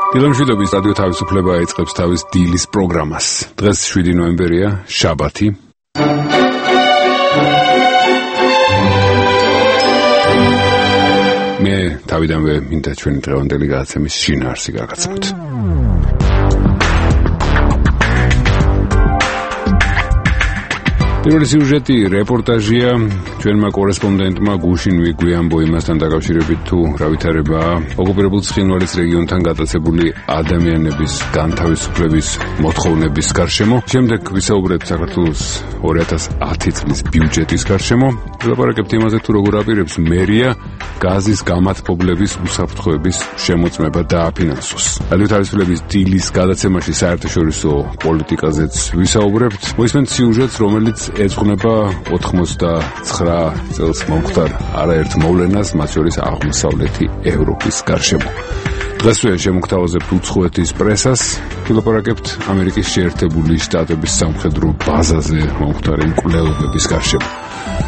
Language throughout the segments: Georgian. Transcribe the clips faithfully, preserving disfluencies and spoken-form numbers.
დილამშვიდობის რადიო თავისუფლება ეწყებს თავის დილის პროგრამას. დღეს შვიდი ნოემბერია, შაბათი. მე თავიდანვე მინდა ჩვენი დღევანდელი გადაცემის შინაარსი გაგაცნოთ. პირველი სიუჟეტი რეპორტაჟია ჩვენმა კორესპონდენტმა გუშინ ვიგვიამბო იმასთან დაკავშირებით თუ რა ვითარებაა ოკუპირებულ ცხინვალის რეგიონთან გატაცებული ადამიანების განთავისუფლების მოთხოვნების გარშემო. შემდეგ ვისაუბრებთ საქართველოს ორი ათას ათი წლის ბიუჯეტის გარშემო. ვილაპარაკებთ იმაზე თუ როგორ აპირებს მერია გაზის გამათბობლების უსაფრთხოების შემოწმება დააფინანსოს. რადიო თავისუფლების დილის გადაცემაში საერთაშორისო პოლიტიკაზეც ვისაუბრებთ. მოისმენთ სიუჟეტს, რომელიც ეძღვნება ოთხმოცდაცხრა წელს მომხდარ არაერთ მოვლენას, მათ შორის აღმოსავლეთი ევროპის გარშემო. დღესვე შემოგთავაზებთ უცხოეთის პრესას, ვილაპარაკებთ ამერიკის შეერთებული შტატების სამხედრო ბაზაზე მომხდარი მკვლელობების გარშემო.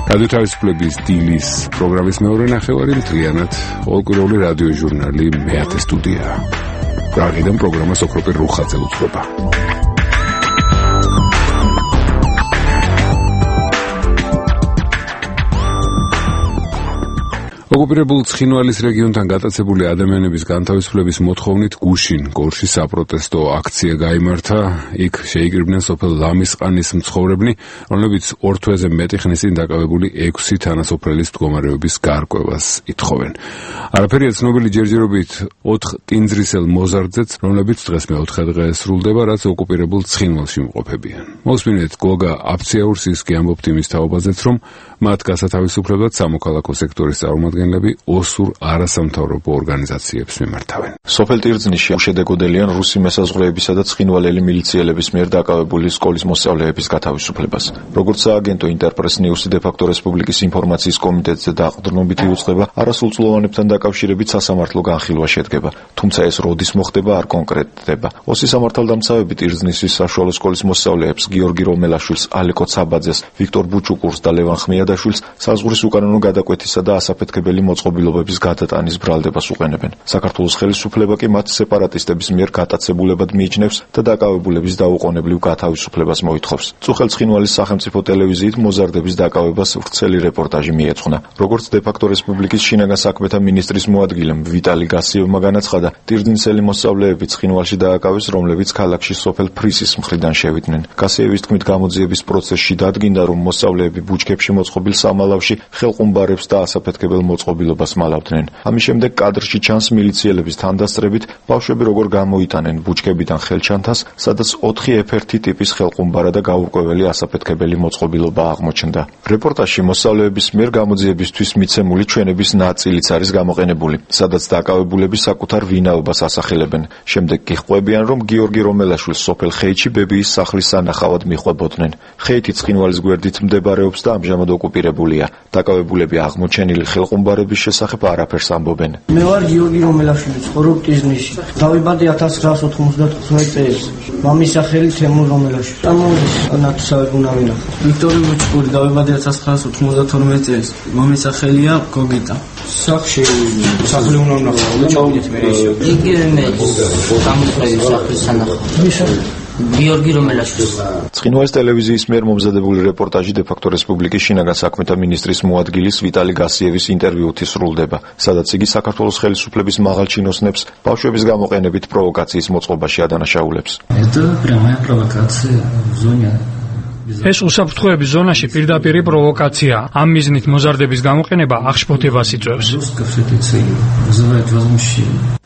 რადიო თავისუფლების დილის პროგრამის მეორე ნახევარი მთლიანად ყოველკვირეული რადიო ჟურნალი მეათე სტუდია. პრაღიდან პროგრამას ოქროპირ რუხაძე უძღვება. ოკუპირებულ ცხინვალის რეგიონთან გატაცებული ადამიანების განთავისუფლების მოთხოვნით გუშინ გორში საპროტესტო აქცია გაიმართა. იქ შეიკრიბნენ სოფელ ლამისყანის მცხოვრებნი, რომლებიც ორ თვეზე მეტი ხნის წინ დაკავებული ექვსი თანასოფლელის მდგომარეობის გარკვევას ითხოვენ. არაფერია ცნობილი ჯერჯერობით ოთხ ტინძრისელ მოზარდზეც, რომლებიც დღეს მეოთხე დღე სრულდება, რაც ოკუპირებულ ცხინვალში მყოფებიან. მოსმინეთ გოგა აფციაურსის კი ამბობთ იმის თაობაზეც, რომ მათ გასათავისუფლებლად სამოქალაქო სექტორის წარმომადგენლები ოსურ არასამთავრობო ორგანიზაციებს მიმართავენ. სოფელ ტირძნიში უშედეგოდელიან რუსი მესაზღვრეებისა და ცხინვალელი მილიციელების მიერ დაკავებული სკოლის მოსწავლეების გათავისუფლებას. როგორც სააგენტო ინტერპრეს ნიუსი დე-ფაქტო რესპუბლიკის ინფორმაციის კომიტეტზე დაყრდნობით იუწყება, არასრულწლოვანებთან დაკავშირებით სასამართლო განხილვა შედგება. თუმცა ეს როდის მოხდება არ კონკრეტდება. ოსის სამართალდამცავები ტირძნისის საშუალო სკოლის მოსწავლეებს გიორგი რომელაშვილს, ალეკო ცაბაძეს, ვიქტორ ბუჩუკურს და ლევან ხმიადაშვილს საზღვრის უკანონო გადაკვეთისა და ასაფეთქებელი მოწყობილობების გადატანის ბრალდებას უყენებენ. საქართველოს ხელისუფლება კი მათ სეპარატისტების მიერ გატაცებულებად მიიჩნევს და დაკავებულების დაუყოვნებლივ გათავისუფლებას მოითხოვს. წუხელ ცხინვალის სახელმწიფო ტელევიზიით მოზარდების დაკავებას ვრცელი რეპორტაჟი მიეძღვნა. როგორც დე-ფაქტო რესპუბლიკის შინაგან საქმეთა მინისტრის მოადგილემ ვიტალი გასიევმა განაცხადა, ტირძნისელი მოსწავლეები ცხინვალში დააკავეს, რომლებიც ქალაქში სოფელ ფრისის მხრიდან შევიდნენ. გასიევის თქმით, გამოძიების პროცესში დადგინდა, რომ მოსწავლეები ბუჩქებში მოწყობილ სამალავში ხელყუმბარებს და ასაფეთქებელ მოწყობილობას მალავდნენ. ამის შემდეგ კადრში ჩანს მილიციელების თანდასწრებით ბავშვები როგორ გამოიტანენ ბუჩქებიდან ხელჩანთას, სადაც ოთხი ეფ ერთი ტიპის ხელყუმბარა და გაურკვეველი ასაფეთქებელი მოწყობილობა აღმოჩნდა. რეპორტაჟში მოსწავლეების მიერ გამოძიებისთვის მიცემული ჩვენების ნაწილიც არის გამოყენებული, სადაც დაკავებულები საკუთარ ვინაობას ასახელებენ. შემდეგ კი ხვებიან, რომ გიორგი რომელაშვილს სოფელ ხეითში ბებიის სახლის სანახავად მიხვებოდნენ. ხეითი ცხინვალის გვერდით მდებარეობს და ამჟამად ოკუპირებულია. დაკავებულები აღმოჩენილი ხელყუმბარების შესახებ არაფერს ამბობენ. მე ვარ გიორგი რომელაშვილი, ცხოვრობ ტირზნისში. დავიბადე ათას ცხრაას ოთხმოცდათხმეტ წელს. მამის სახელი თემურ რომელაშვილი. ამოდის ნათესავები უნდა ვინახო. ვიქტორი ბუჩკური, დავიბადე ათას ცხრაას ოთხმოცდათორმეტ წელს. მამის სახელია გოგიტა. სახში სახლი უნდა ვნახო. ჩავიდეთ მე ისე. იგივე მე გამოყენების სახლის სანახავად. გიორგი რომელაშვილს. ცხინვალის ტელევიზიის მიერ მომზადებული რეპორტაჟი დე-ფაქტო რესპუბლიკის შინაგან საქმეთა მინისტრის მოადგილის ვიტალი გასიევის ინტერვიუით სრულდება, სადაც იგი საქართველოს ხელისუფლების მაღალჩინოსნებს ბავშვების გამოყენებით პროვოკაციის მოწყობაში ადანაშაულებს. Это прямая провокация в зоне. ეს უსაფრთხოების ზონაში პირდაპირ პროვოკაცია. ამ მიზნით მოზარდების გამოყენება აღშფოთებას იწვევს.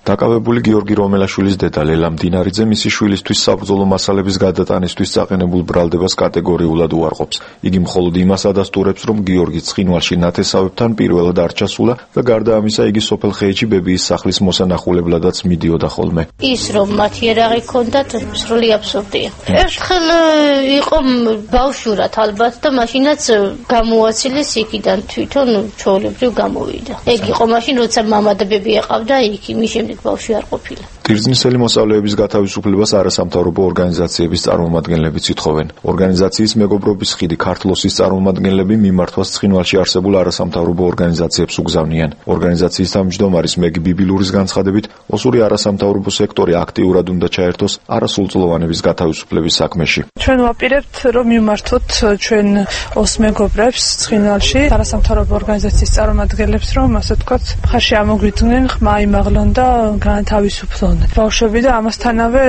დაკავებული გიორგი რომელაშვილის დედა ლელა მდინარიძე მისი შვილისთვის საბრძოლო მასალების გადატანისთვის წაყენებულ ბრალდებას კატეგორიულად უარყოფს. იგი მხოლოდ იმას ადასტურებს, რომ გიორგი ცხინვალში ნათესავებთან პირველად არ ჩასულა და გარდა ამისა იგი სოფელ ხეითში ბებიის სახლის მოსანახულებლადაც მიდიოდა ხოლმე. ის რომ მათ იარაღი ჰქონდათ, სრული აბსურდია. ერთხელ იყო ბავშვურად ალბათ და მაშინაც გამოაცილეს იქიდან თვითონ ჩვეულებრივ გამოვიდა. ეგ იყო მაშინ როცა მამა და ბები ეყავდა იქ, იმის შემდეგ ბავშვი არ ყოფილა. ტირზნისელი მოსწავლეების გათავისუფლებას არასამთავრობო ორგანიზაციების წარმომადგენლებიც ითხოვენ. ორგანიზაციის მეგობრობის ხიდი ქართლოსის წარმომადგენლები მიმართვას ცხინვალში არსებულ არასამთავრობო ორგანიზაციებს უგზავნიან. ორგანიზაციის თავმჯდომარის მეგი ბიბილურის განცხადებით, ოსური არასამთავრობო სექტორი აქტიურად უნდა ჩაერთოს არასრულწლოვანების გათავისუფლების საქმეში. ჩვენ ვაპირებთ, რომ მიმართოთ ჩვენ ოს მეგობრებს ცხინვალში არასამთავრობო ორგანიზაციის წარმომადგენლებს, რომ ასე ვთქვათ, მხარში ამოგვიდგნენ, ხმა იმაღლონ და განთავისუფლონ ბავშვები და ამასთანავე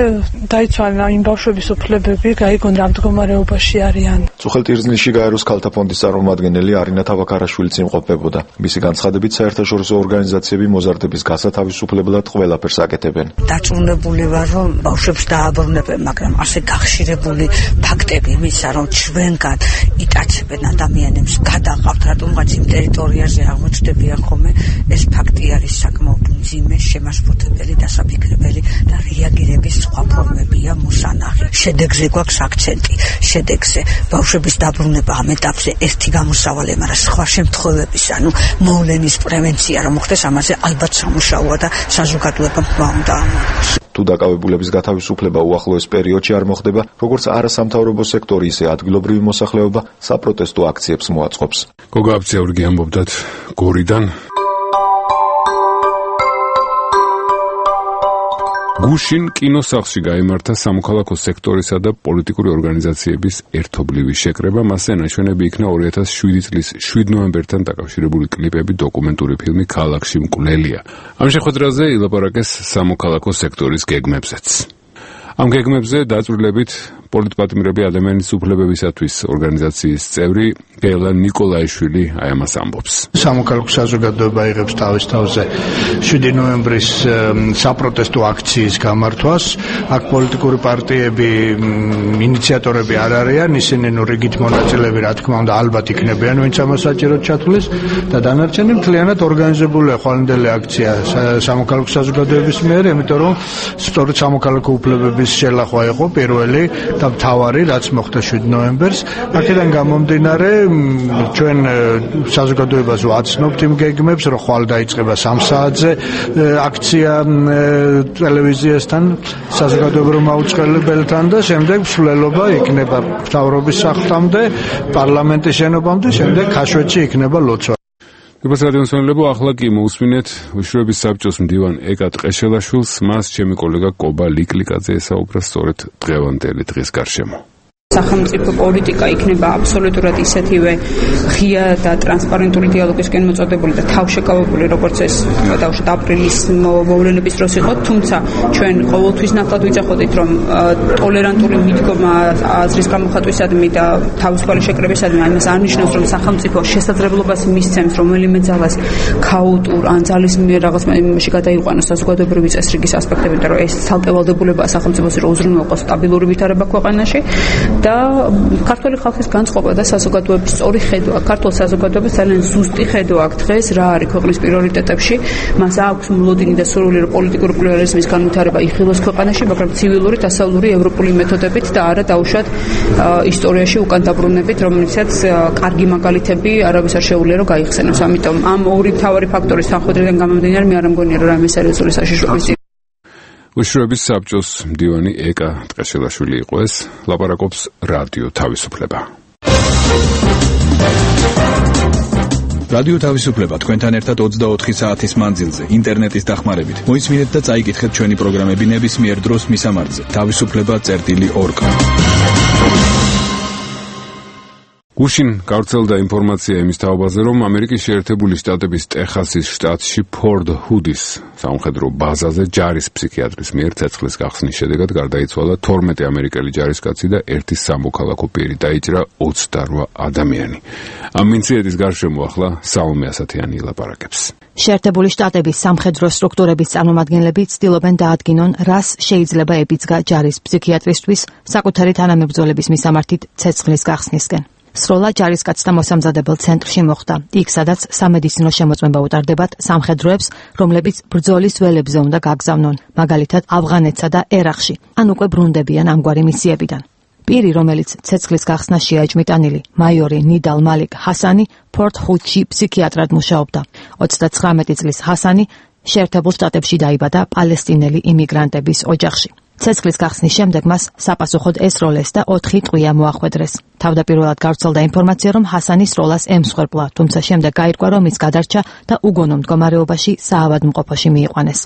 დაიცვალა იმ ბავშვების უფლებები, გაიგონ რა მდგომარეობაში არიან. წუხელ-ტირზნისში გაეროს ქალთა ფონდის წარმომადგენელი არინა თავაქარაშვილიც იმყოფებოდა. მისი განცხადებით, საერთაშორისო ორგანიზაციები მოზარდების გასათავისუფლებლად ყველაფერს აკეთებენ. დარწმუნებული ვარ, რომ ბავშვებს დააბრუნებენ, მაგრამ ასე გახშირებული ფაქტები იმისა, რომ ჩვენგან იტაცებენ ადამიანებს, გადაყავთ რატომღაც იმ ტერიტორიაზე აღმოჩნდებიან ხოლმე, ეს ფაქტი არის საკმაოდ მძიმე, შემაშფოთებელი და საფიქრებელი და რეაგირების სხვა ფორმებია მოსანახი. შედეგზე გვაქვს აქცენტი, შედეგზე ბავშვების დაბრუნება ამ ეტაპზე ერთი გამოსავალი, მაგრამ სხვა შემთხვევების, ანუ მოვლენის პრევენცია რომ მოხდეს, ამაზე ალბათ სამუშაოა და საზოგადოებამ უნდა ამოიღოს. თუ დაკავებულების გათავისუფლება უახლოეს პერიოდში არ მოხდება, როგორც არასამთავრობო სექტორი, ისე ადგილობრივი მოსახლეობა საპროტესტო აქციებს მოაწყობს. გოგა აბცეურგი ამბობდათ გორიდან. გუშინ კინოსახლში გაიმართა სამოქალაქო სექტორისა და პოლიტიკური ორგანიზაციების ერთობლივი შეკრება, მასზე ნაჩვენები იქნა ორი ათას შვიდი წლის შვიდ ნოემბერთან დაკავშირებული კლიპები, დოკუმენტური ფილმი ქალაქში მკვლელია. ამ შეხვედრაზე ილაპარაკეს სამოქალაქო სექტორის გეგმებზეც. ამ გეგმებზე დაწვრილებით პოლიტპატიმრები ადამიანის უფლებებისათვის ორგანიზაციის წევრი გელა ნიკოლაიშვილი აი ამას ამბობს. სამოქალაქო საზოგადოება იღებს თავის თავზე შვიდი ნოემბრის საპროტესტო აქციის გამართვას. აქ პოლიტიკური პარტიები ინიციატორები არ არიან, ისინი ნუ რიგით მონაწილეები, რა თქმა უნდა, ალბათ იქნებიან, ვინც ამას საჭიროდ ჩათვლის და დანარჩენი მთლიანად ორგანიზებულია ხვალინდელი აქცია სამოქალაქო საზოგადოების მიერ, იმიტომ რომ სწორედ სამოქალაქო უფლებების შელახვა იყო პირველი და მთავარი, რაც მოხდა შვიდ ნოემბერს. აქედან გამომდინარე, ჩვენ საზოგადოებას ვაცნობთ იმ გეგმებს, რომ ხვალ დაიწყება სამ საათზე აქცია ტელევიზიასთან, საზოგადოებრივ მაუწყებელთან და შემდეგ მსვლელობა იქნება მთავრობის სახლამდე, პარლამენტის შენობამდე, შემდეგ ქაშვეთში იქნება ლოცვა. გასაგებია, ახლა კი მოусმინეთ უშუალოების საბჭოს მდივან ეკა ტყეშელაშვილს, მას ჩემი კოლეგა კობა ლიკლიკაძე ესაუბრა სწორედ დღევანდელი დღის გარშემო. სახელმწიფო პოლიტიკა იქნება აბსოლუტურად ისეთივე ღია და ტრანსპარენტული დიალოგისკენ მოწოდებული და თავშეკავებული, როგორც ეს დავუშვათ აპრილის მოვლენების დროს იყო, თუმცა ჩვენ ყოველთვის ნათლად ვიძახოდით, რომ ტოლერანტული მიდგომა აზრის გამოხატვისადმი და თავისუფალი შეკრებისადმი ამას არ ნიშნავს, რომ სახელმწიფო შესაძლებლობას მისცემს რომელიმე ძალას ქაოტურ ან ძალის მიერ რაღაც იმაში გადაიყვანოს საზოგადოებრივი წესრიგის ასპექტები, და რომ ეს ცალკევალდებულებაა სახელმწიფოს, რომ უზრუნველყოს სტაბილური ვითარება ქვეყანაში. და ქართული ხალხის განწყობა და საზოგადოების სწორი ხედვა, ქართულ საზოგადოებას ძალიან ზუსტი ხედვა აქვს დღეს რა არის ქვეყნის პრიორიტეტებში, მას აქვს მოლოდინი და სურვილი რომ პოლიტიკური პლურალიზმის განვითარება იხილოს ქვეყანაში, მაგრამ ცივილური, დასავლური, ევროპული მეთოდებით და არა დაუშვათ ისტორიაში უკან დაბრუნებით, რომელიცაც კარგი მაგალითები არავის არ შეუძლია რომ გაიხსენოს. ამიტომ ამ ორი მთავარი ფაქტორის თანხმდიდან გამომდინარე, მე არ მგონია რომ რამე სერიოზული საშიშროების უშუალოების საბჭოს მდივანი ეკა ტყეშელაშვილი იყო ეს, ლაპარაკობს რადიო თავისუფლება. რადიო თავისუფლება თქვენთან ერთად ოცდაოთხი საათის მანძილზე, ინტერნეტის დახმარებით. მოისმინეთ და წაიკითხეთ ჩვენი პროგრამები ნებისმიერ დროს მისამართზე. თავისუფლება წერტილი ორ. გუშინ გავრცელდა ინფორმაცია იმის თაობაზე, რომ ამერიკის შეერთებული შტატების ტეხასის შტატში ფორდ ჰუდის სამხედრო ბაზაზე ჯარის ფსიქიატრის მიერ ცეცხლის გახსნის შედეგად გარდაიცვალა თორმეტი ამერიკელი ჯარისკაცი და ერთი სამოქალაქო პირი, დაიჭრა ოცდარვა ადამიანი. ამ ინციდენტის გარშემო ახლა საომე ასათიანი ილაპარაკებს. შეერთებული შტატების სამხედრო სტრუქტურების წარმომადგენლები ცდილობენ დაადგინონ, რას შეიძლება ებიძგა ჯარის ფსიქიატრისთვის საკუთარი თანამებრძოლების მისამართით ცეცხლის გახსნისკენ. სროლა ჯარისკაცთა მოსამზადებელ ცენტრში მოხდა, იქ სადაც სამედიცინო შემოწმება უტარდებათ სამხედროებს, რომლებიც ბრძოლის ველებზე უნდა გაგზავნონ, მაგალითად ავღანეთსა და ერაყში, ან უკვე ბრუნდებიან ამგვარი მისიებიდან. პირი, რომელიც ცეცხლის გახსნას შეაჭმიტანილი მაიორი ნიდალ მალიკ ჰასანი ფორტ ჰუდში ფსიქიატრად მუშაობდა. ოცდაცხრამეტი წლის ჰასანი შეერთებულ შტატებში დაიბადა პალესტინელი იმიგრანტების ოჯახში. ცეცხლის გახსნის შემდეგ მას საპასუხოდ ესროლეს და ოთხი ტყვია მოახვედრეს. თავდაპირველად გავრცელდა ინფორმაცია, რომ ჰასანი სროლას ემსხვერპლა, თუმცა შემდეგ გაირკვა, რომ ის გადარჩა და უგონო მდგომარეობაში საავადმყოფოში მიიყვანეს.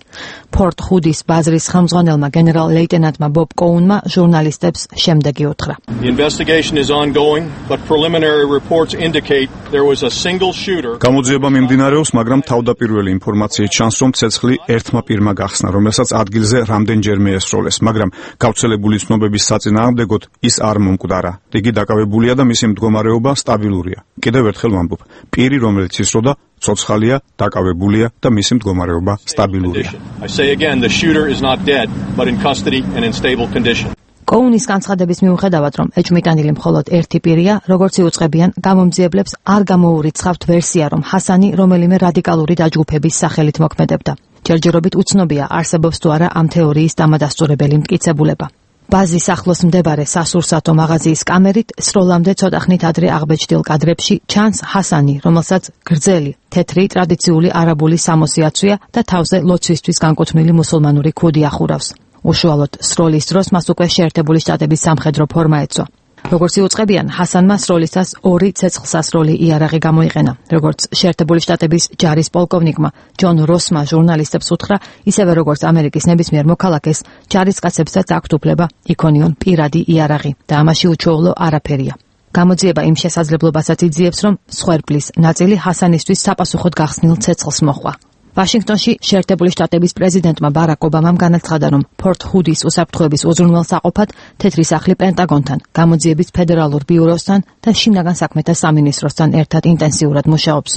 ფორტ ჰუდის ბაზრის ხელმძღვანელმა გენერალ ლეიტენანტმა ბობ კოუნმა ჟურნალისტებს შემდეგი უთხრა. The investigation is ongoing, but preliminary reports indicate there was a single shooter. გამოძიება მიმდინარეობს, მაგრამ თავდაპირველი ინფორმაციით ჩანს, რომ ცეცხლი ერთმა პირმა გახსნა, რომელსაც ადგილზე რამდენჯერმე ესროლეს, მაგრამ გავრცელებული ცნობების საწინააღმდეგოდ ის არ მომკვდარა. იგი დაკავებულია და მისი მდგომარეობა სტაბილურია. კიდევ ერთხელ ვამბობ, პირი, რომელიც ისროდა, ცოცხალია, დაკავებულია და მისი მდგომარეობა სტაბილურია. I say again, the shooter is not dead, but in custody and in stable condition. კოუნის განცხადების მიუხედავად, რომ ეჭვმიტანილი მხოლოდ ერთი პირია, როგორც იუწყებიან, გამომძიებლებს არ გამოურიცხავთ ვერსია, რომ ჰასანი რომელიმე რადიკალური დაჯგუფების სახელით მოქმედებდა. ჯერჯერობით უცნობია, არსებობს თუ არა ამ თეორიის დამადასტურებელი მტკიცებულება. ბაზის ახლოს მდებარე სასურსათო მაღაზიის კამერით სროლამდე ცოტა ხნით ადრე აღბეჭდილ კადრებში ჩანს ჰასანი, რომელსაც გრძელი, თეთრი ტრადიციული არაბული სამოსი აცვია და თავზე ლოცვისთვის განკუთვნილი მუსულმანური ქუდი ახურავს. უშუალოდ სროლის დროს მას უკვე შეერთებული შტატების სამხედრო ფორმა ეწვა. როგორც იუწყებიან, ჰასანმა სროლისას ორი ცეცხლსასროლი იარაღი გამოიყენა. როგორც შეერთებული შტატების ჯარის პოლკოვნიკმა ჯონ როსმა ჟურნალისტებს უთხრა, ისევე როგორც ამერიკის ნებისმიერ მოქალაქეს, ჯარისკაცებსაც აქვთ უფლება იქონიონ პირადი იარაღი და ამაში უჩვეულო არაფერია. გამოძიება იმ შესაძლებლობასაც იძიებს, რომ მსხვერპლის ნაწილი ჰასანისთვის საპასუხოდ გახსნილ ცეცხლს მოჰყვა. ვაშინგტონში შეერთებული შტატების პრეზიდენტმა ბარაკ ობამამ განაცხადა, რომ ფორტ ჰუდის უსაფრთხოების უზრუნველსაყოფად თეთრი სახლი პენტაგონთან, გამოძიების ფედერალურ ბიუროსთან და შინაგან საქმეთა სამინისტროსთან ერთად ინტენსიურად მუშაობს.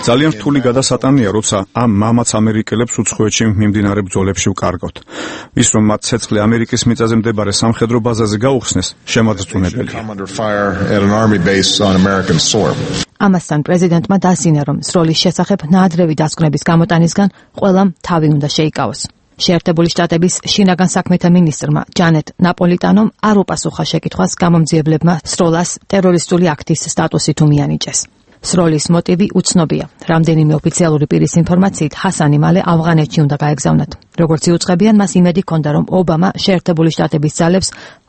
ძალიან რთული გადასატანია, როცა ამ მამაც ამერიკელებს უცხოეთში მიმდინარე ბრძოლებში ვკარგავთ. ის, რომ მათ ცეცხლი ამერიკის მიწაზე მდებარე სამხედრო ბაზაზე გაუხსნეს, შემაძწუნებელია. ამასთან პრეზიდენტმა დასინა, რომ სროლის შესახებ ნაადრევი დასკვნების გამოტანისგან ყველამ თავი უნდა შეიკავოს. შეერთებული შტატების შინაგან საქმეთა მინისტრმა ჯანეტ ნაპოლიტანომ არ უპასუხა შეკითხვას გამომძიებლებმა სროლას ტერორისტული აქტის სტატუსით უმიანიჭეს. სროლის მოტივი უცნობია. რამდენიმე ოფიციალური პირის ინფორმაციით, ჰასანი მალე ავღანეთში უნდა გაეგზავნათ. როგორც იუწყებიან, მას იმედი ჰქონდა, რომ ობამა შეერთებული შტატების ძალებს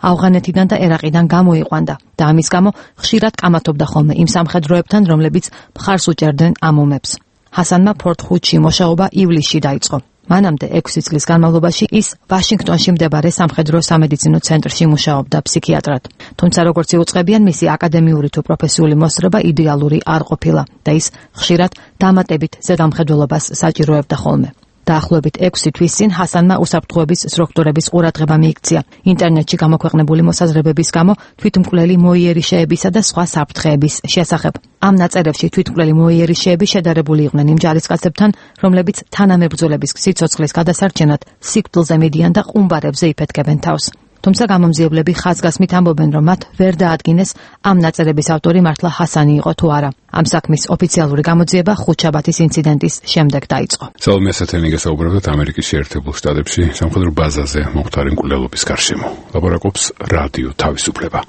ავღანეთიდან და ერაყიდან გამოიყვანდა და ამის გამო ხშირად კამათობდა ხოლმე იმ სამხედროებთან, რომლებიც მხარს უჭერდნენ ამ ომებს. ჰასანმა ფორტ ჰუდში მუშაობა ივლისში დაიწყო. მანამდე ექვსი წლის განმავლობაში ის ვაშინგტონში მდებარე სამხედრო სამედიცინო ცენტრში მუშაობდა ფსიქიატრად. თუმცა როგორც იუწყებიან, მისი აკადემიური თუ პროფესიული მოსწრება იდეალური არ ყოფილა და ის ხშირად დამატებით ზედამხედველობას საჭიროებდა ხოლმე. დაახლოებით ექვსი თვის წინ ჰასანმა უსაფრთხოების სტრუქტურების ყურადღება მიიქცია. ინტერნეტში გამოქვეყნებული მოსაზრებების გამო თვითმკვლელი მოიერიშეებისა და სხვა საფრთხეების შესახებ. ამ ნაწერებში თვითმკვლელი მოიერიშეები შედარებული იყვნენ იმ ჯარისკაცებთან, რომლებიც თანამებრძოლების სიცოცხლის გადასარჩენად სიკვდილზე მიდიან და ყუმბარებზე იფეთქებენ თავს. თუმცა გამომძიებლები ხაზგასმით ამბობენ, რომ მათ ვერ დაადგინეს ამ ნაწერების ავტორი მართლა ჰასანი იყო თუ არა. ამ საქმის ოფიციალური გამოძიება ხუთშაბათის ინციდენტის შემდეგ დაიწყო. სალომე ასათიანი გესაუბრებთ ამერიკის შეერთებულ შტატებში სამხედრო ბაზაზე მომხდარი მკვლელობის გარშემო. ლაპარაკობს რადიო თავისუფლება.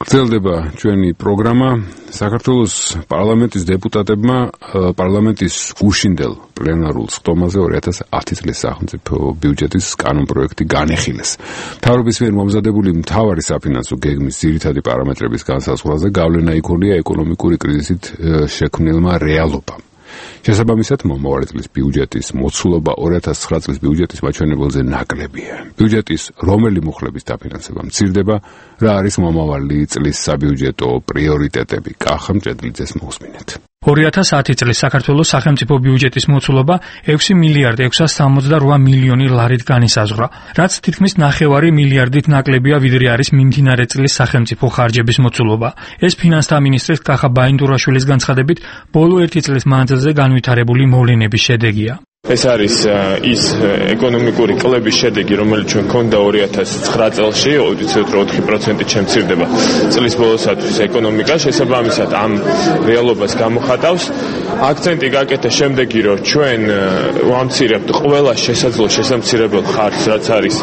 გრძელდება ჩვენი პროგრამა. საქართველოს პარლამენტის დეპუტატებმა პარლამენტის გუშინდელ პლენარულ სხდომაზე ორი ათას ათი წლის სახელმწიფო ბიუჯეტის კანონპროექტი განეხილეს. მთავრობის მიერ მომზადებული მთავარი საფინანსო გეგმის ძირითადი პარამეტრების განსაზღვრაზე გავლენა იქონია ეკონომიკური კრიზისით შექმნილმა რეალობამ. შესაბამისად, მომავალი წლის ბიუჯეტის მოცულობა ორი ათას ცხრა წლის ბიუჯეტის მაჩვენებელზე ნაკლებია. ბიუჯეტის რომელი მუხლების დაფინანსება მცირდება, რა არის მომავალი წლის საბიუჯეტო პრიორიტეტები? კახა მჭედლიძეს მოусმინეთ. ორი ათას ათი წლის საქართველოს სახელმწიფო ბიუჯეტის მოცულობა ექვსი მილიარდ ექვსას სამოცდა რვა მილიონი ლარით განისაზღვრა, რაც თითქმის ნახევარი მილიარდით ნაკლებია, ვიდრე არის მიმდინარე წლის სახელმწიფო ხარჯების მოცულობა. ეს ფინანსთა მინისტრის კახა ბაინდურაშვილის განცხადებით, ბოლო ერთი წლის მანძილზე განვითარებული მოვლენების შედეგია. ეს არის ის ეკონომიკური კლების შედეგი, რომელიც ჩვენ გქონდა ორი ათას ცხრა წელში, ოდესმე ოთხი პროცენტით შემცირდება წლის ბოლოსათვის ეკონომიკა, შესაბამისად ამ რეალობას გამოხატავს. აქცენტი გაკეთე შემდეგი, რომ ჩვენ ვამცირებთ ყველა შესაძლო შესამცირებელ ხარჯს, რაც არის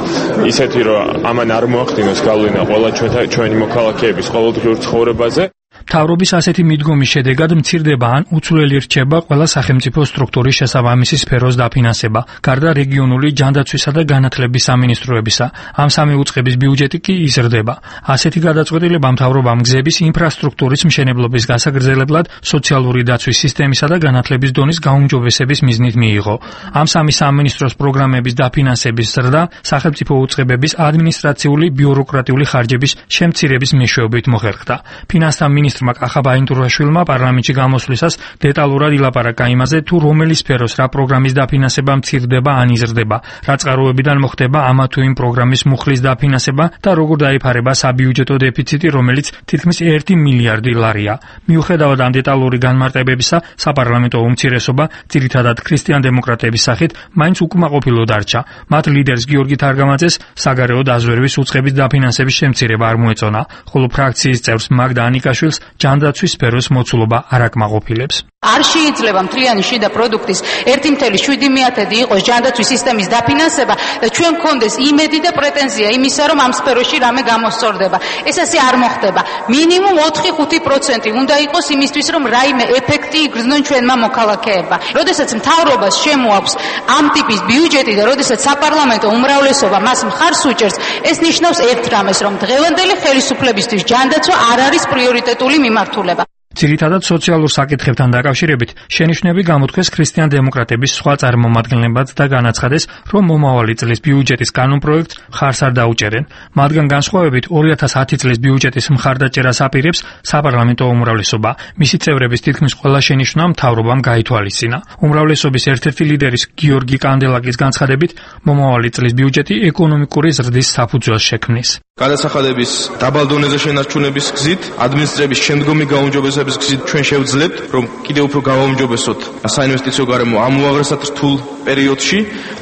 ისეთი, რომ ამან არ მოახდინოს გავლენა ყველა ჩვენი მოქალაქეების ყოველდღიურ ცხოვრებაზე. მთავრობის ასეთი მიდგომის შედეგად მცირდება ან უცვლელი რჩება ყველა სახელმწიფო სტრუქტურის შესაბამისი სფეროს დაფინანსება, გარდა რეგიონული ჯანდაცვისა და განათლების სამინისტროებისა. ამ სამი უწყების ბიუჯეტი კი იზრდება. ასეთი გადაწყვეტილება მთავრობამ გზების ინფრასტრუქტურის მშენებლობის გასაგრძელებლად სოციალური დაცვის სისტემისა და განათლების დონის გაუმჯობესების მიზნით მიიღო. ამ სამი სამინისტროს პროგრამების დაფინანსების ზრდა სახელმწიფო უწყებების ადმინისტრაციული ბიუროკრატიული ხარჯების შემცირების მეშვეობით მოხერხდა. ფინანსთა მინისტრმა კახა ბაინდურაშვილმა პარლამენტში გამოსვლისას დეტალურად ილაპარაკა იმაზე, თუ რომელი სფეროს რა პროგრამის დაფინანსება მცირდება ან იზრდება, რა წყაროებიდან მოხდება ამა თუ იმ პროგრამის მუხლის დაფინანსება და როგორ დაიფარება საბიუჯეტო დეფიციტი, რომელიც თითქმის ერთი მილიარდი ლარია. მიუხედავად ამ დეტალური განმარტებებისა, საპარლამენტო უმცირესობა, ძირითადად ქრისტიან-დემოკრატების სახით, მაინც უკმაყოფილო დარჩა. მათ ლიდერს გიორგი თარგამაძეს საგარეო დაზვერვის უწყების დაფინანსების შემცირება არ მოეწონა, ხოლო ფრაქციის წევრს მაგდა ანიკაშვილს ჯანდაცვის სფეროს მოცულობა არ აკმაყოფილებს. არ შეიძლება მთლიანი შიდა პროდუქტის ერთი კoma შვიდი მიათედი იყოს ჯანდაცვის სისტემის დაფინანსება და ჩვენ გქონდეს იმედი და პრეტენზია იმისა, რომ ამ სფეროში რამე გამოსწორდება. ეს ასე არ მოხდება. მინიმუმ ოთხი ხუთი პროცენტი უნდა იყოს იმისთვის, რომ რაიმე ეფექტი იგრძნონ ჩვენმა მოქალაქეებმა. როდესაც მთავრობას შემოაქვს ამ ტიპის ბიუჯეტი და როდესაც საპარლამენტო უმრავლესობა მას მხარს უჭერს, ეს ნიშნავს ერთ რამეს, რომ დღევანდელი ხელისუფლებისთვის ჯანდაცვა არ არის პრიორიტეტული მიმართულება. ძირითადად სოციალურ საკითხებთან დაკავშირებით შენიშვნები გამოთქვეს ქრისტიან-დემოკრატების სხვა წარმომადგენლებად და განაცხადეს, რომ მომავალი წლის ბიუჯეტის კანონპროექტს მხარს არ დაუჭერენ. მათგან განსხვავებით ორი ათას ათი წლის ბიუჯეტის მხარდაჭერას აპირებს საპარლამენტო უმრავლესობა. მისი წევრების თითქმის ყველა შენიშვნა მთავრობამ გაითვალისწინა. უმრავლესობის ერთ-ერთი ლიდერის გიორგი კანდელაკის განცხადებით, მომავალი წლის ბიუჯეტი ეკონომიკური ზრდის საფუძველს შექმნის. გადასახადების დაბალ დონეზე შენარჩუნების გზით, ადმინისტრების შემდგომი გაუმჯობესების გზით ჩვენ შევძლებთ, რომ კიდევ უფრო გავაუმჯობესოთ საინვესტიციო გარემო ამ უაღრესად რთულ პერიოდში,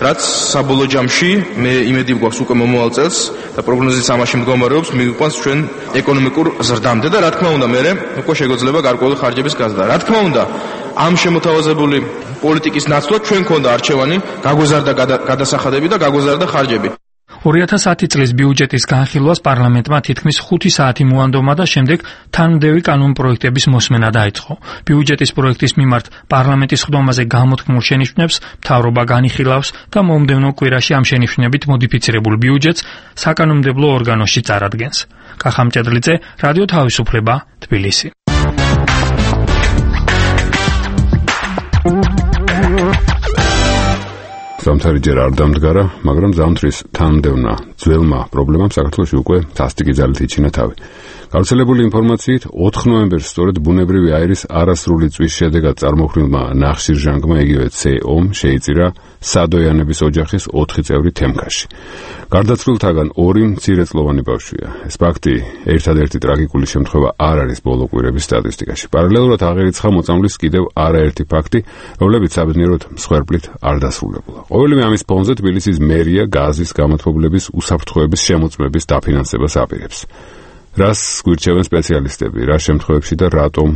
რაც საბოლოო ჯამში მე იმედი გვაქვს უკვე მომავალ წელს და პროგნოზიც ამაში მდგომარეობს, მივიყვანს ჩვენ ეკონომიკურ ზრდამდე და რა თქმა უნდა, მე უკვე შეგვეძლება გარკვეული ხარჯების გაზრდა. რა თქმა უნდა, ამ შემოთავაზებული პოლიტიკის ნაცვლად ჩვენ გქონდა არჩევანი, გაგვეზარდა გადასახადები და გაგვეზარდა ხარჯები. ორი ათას ათი წლის ბიუჯეტის განხილვას პარლამენტმა თითქმის ხუთი საათი მოანდომა და შემდეგ თანმდევი კანონპროექტების მოსმენა დაიწყო. ბიუჯეტის პროექტის მიმართ პარლამენტის ხდომაზე გამოთქმულ შენიშვნებს მთავრობა განიხილავს და მომდევნო კვირაში ამ შენიშვნებით მოდიფიცირებულ ბიუჯეტს საკანონმდებლო ორგანოში წარადგენს. კახა მჭედლიძე, რადიო თავისუფლება, თბილისი. ზამთარი ჯერ არ დამდგარა, მაგრამ ზამთრის თანმდევნა ძველმა პრობლემამ საქართველოში უკვე სასტიკი ძალით იჩინა თავი. გავრცელებული ინფორმაციით, ოთხ ნოემბერს სწორედ ბუნებრივი აირის არასრული წვის შედეგად წარმოქმნილმა ნახშირჟანგმა იგივე ცე-ომ შეიწირა სადოიანების ოჯახის ოთხი წევრი თემქაში. გარდაცვლილთაგან ორი მცირეწლოვანი ბავშვია. ეს ფაქტი ერთადერთი ტრაგიკული შემთხვევა არ არის ბოლო კვირების სტატისტიკაში. პარალელურად აღერიცხა მოწამვლის კიდევ არაერთი ფაქტი, რომლებიც საბედნიეროდ მსხვერპლით არ დასრულებულა. ყოველივე ამის ფონზე თბილისის მერია გაზის გამოთქმულების უსაფრთხოების შემოწმების დაფინანსებას აპირებს. რას გვირჩევენ სპეციალისტები, რა შემთხვევებში და რატომ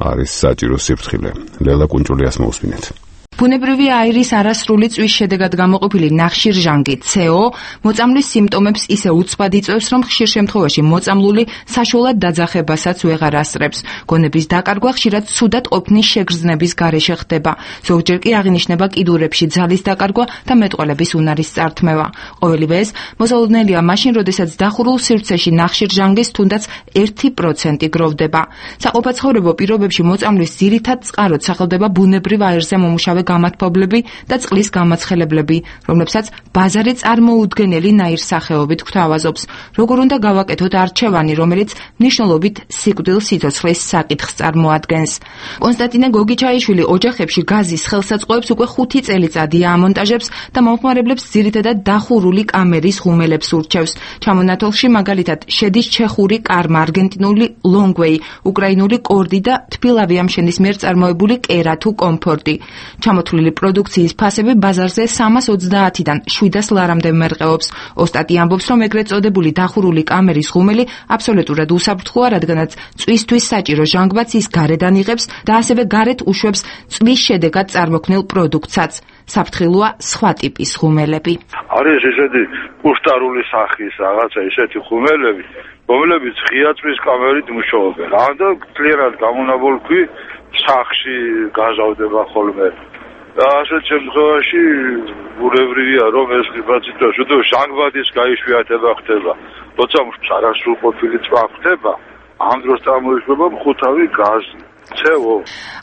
არის საჭირო სიფრთხილე? ლელა კუნჭულიას მოусმინეთ. ბუნებრივი აირის არასრული წვის შედეგად გამოყოფილი ნახშირჟანგი ცე-ო მოწამვლის სიმპტომებს ისე უცბად იწვევს, რომ ხშირ შემთხვევაში მოწამლული საშუალად დაძახებასაც ვეღარ ასწრებს. გონების დაკარგვა ხშირად ცუდად ყოფნის შეგრძნების გარეშე ხდება. ზოგჯერ კი აღინიშნება კიდურებში ძალის დაკარგვა და მეტყველების უნარის წართმევა. ყოველივე ეს მოსალოდნელია მაშინ, როდესაც დახურულ სივრცეში ნახშირჟანგის თუნდაც ერთი პროცენტი გროვდება. საყოფაცხოვრებო პირობებში მოწამვლის ძირითად წყაროდ სახელდება ბუნებრივ აირზე მომუშავე გამათბობლები და წყლის გამაცხელებლები, რომლებსაც ბაზარი წარმოუდგენელი ნაირსახეობით გვთავაზობს. როგორ უნდა გავაკეთოთ არჩევანი, რომელიც მნიშვნელობით სიკვდილ სიცოცხლის საკითხს წარმოადგენს. კონსტანტინე გოგიჩაიშვილი ოჯახებში გაზის ხელსაწყოებს უკვე ხუთი წელიწადია ამონტაჟებს და მომხმარებლებს ძირითადად დახურული კამერის ღუმელებს ურჩევს. ჩამონათოლში მაგალითად შედის ჩეხური კარმა, არგენტინული ლონგვეი, უკრაინული კორდი და თბილავიამშენის მიერ წარმოებული კერა თუ კომფორტი. ჩამოთვლილი პროდუქციის ფასები ბაზარზე სამას ოცდაათიდან შვიდას ლარამდე მერყეობს. ოსტატი ამბობს, რომ ეგრეთ წოდებული დახურული კამერის ღუმელი აბსოლუტურად უსაფრთხოა, რადგანაც წვისთვის საჭირო ჟანგბადს ის გარედან იღებს და ასევე გარეთ უშვებს წვის შედეგად წარმოქმნილ პროდუქტსაც. საფრთხილოა სხვა ტიპის ღუმელები. არის ესეთი კუშტარული სახის რაღაცა ესეთი ღუმელები, რომლებიც ღია წვის კამერით მუშაობენ. ამდა კლიერად გამონაბოლქვი სახში გაზავდება ხოლმე. და ასეთ შემთხვევაში ბუნებრივია, რომ ეს ხიბაციტოს უდო ჟანგბადის გაიშვიათება ხდება. როცა არასრულყოფილი წვა ხდება, ამ დროს წარმოიშვება მხუთავი გაზი.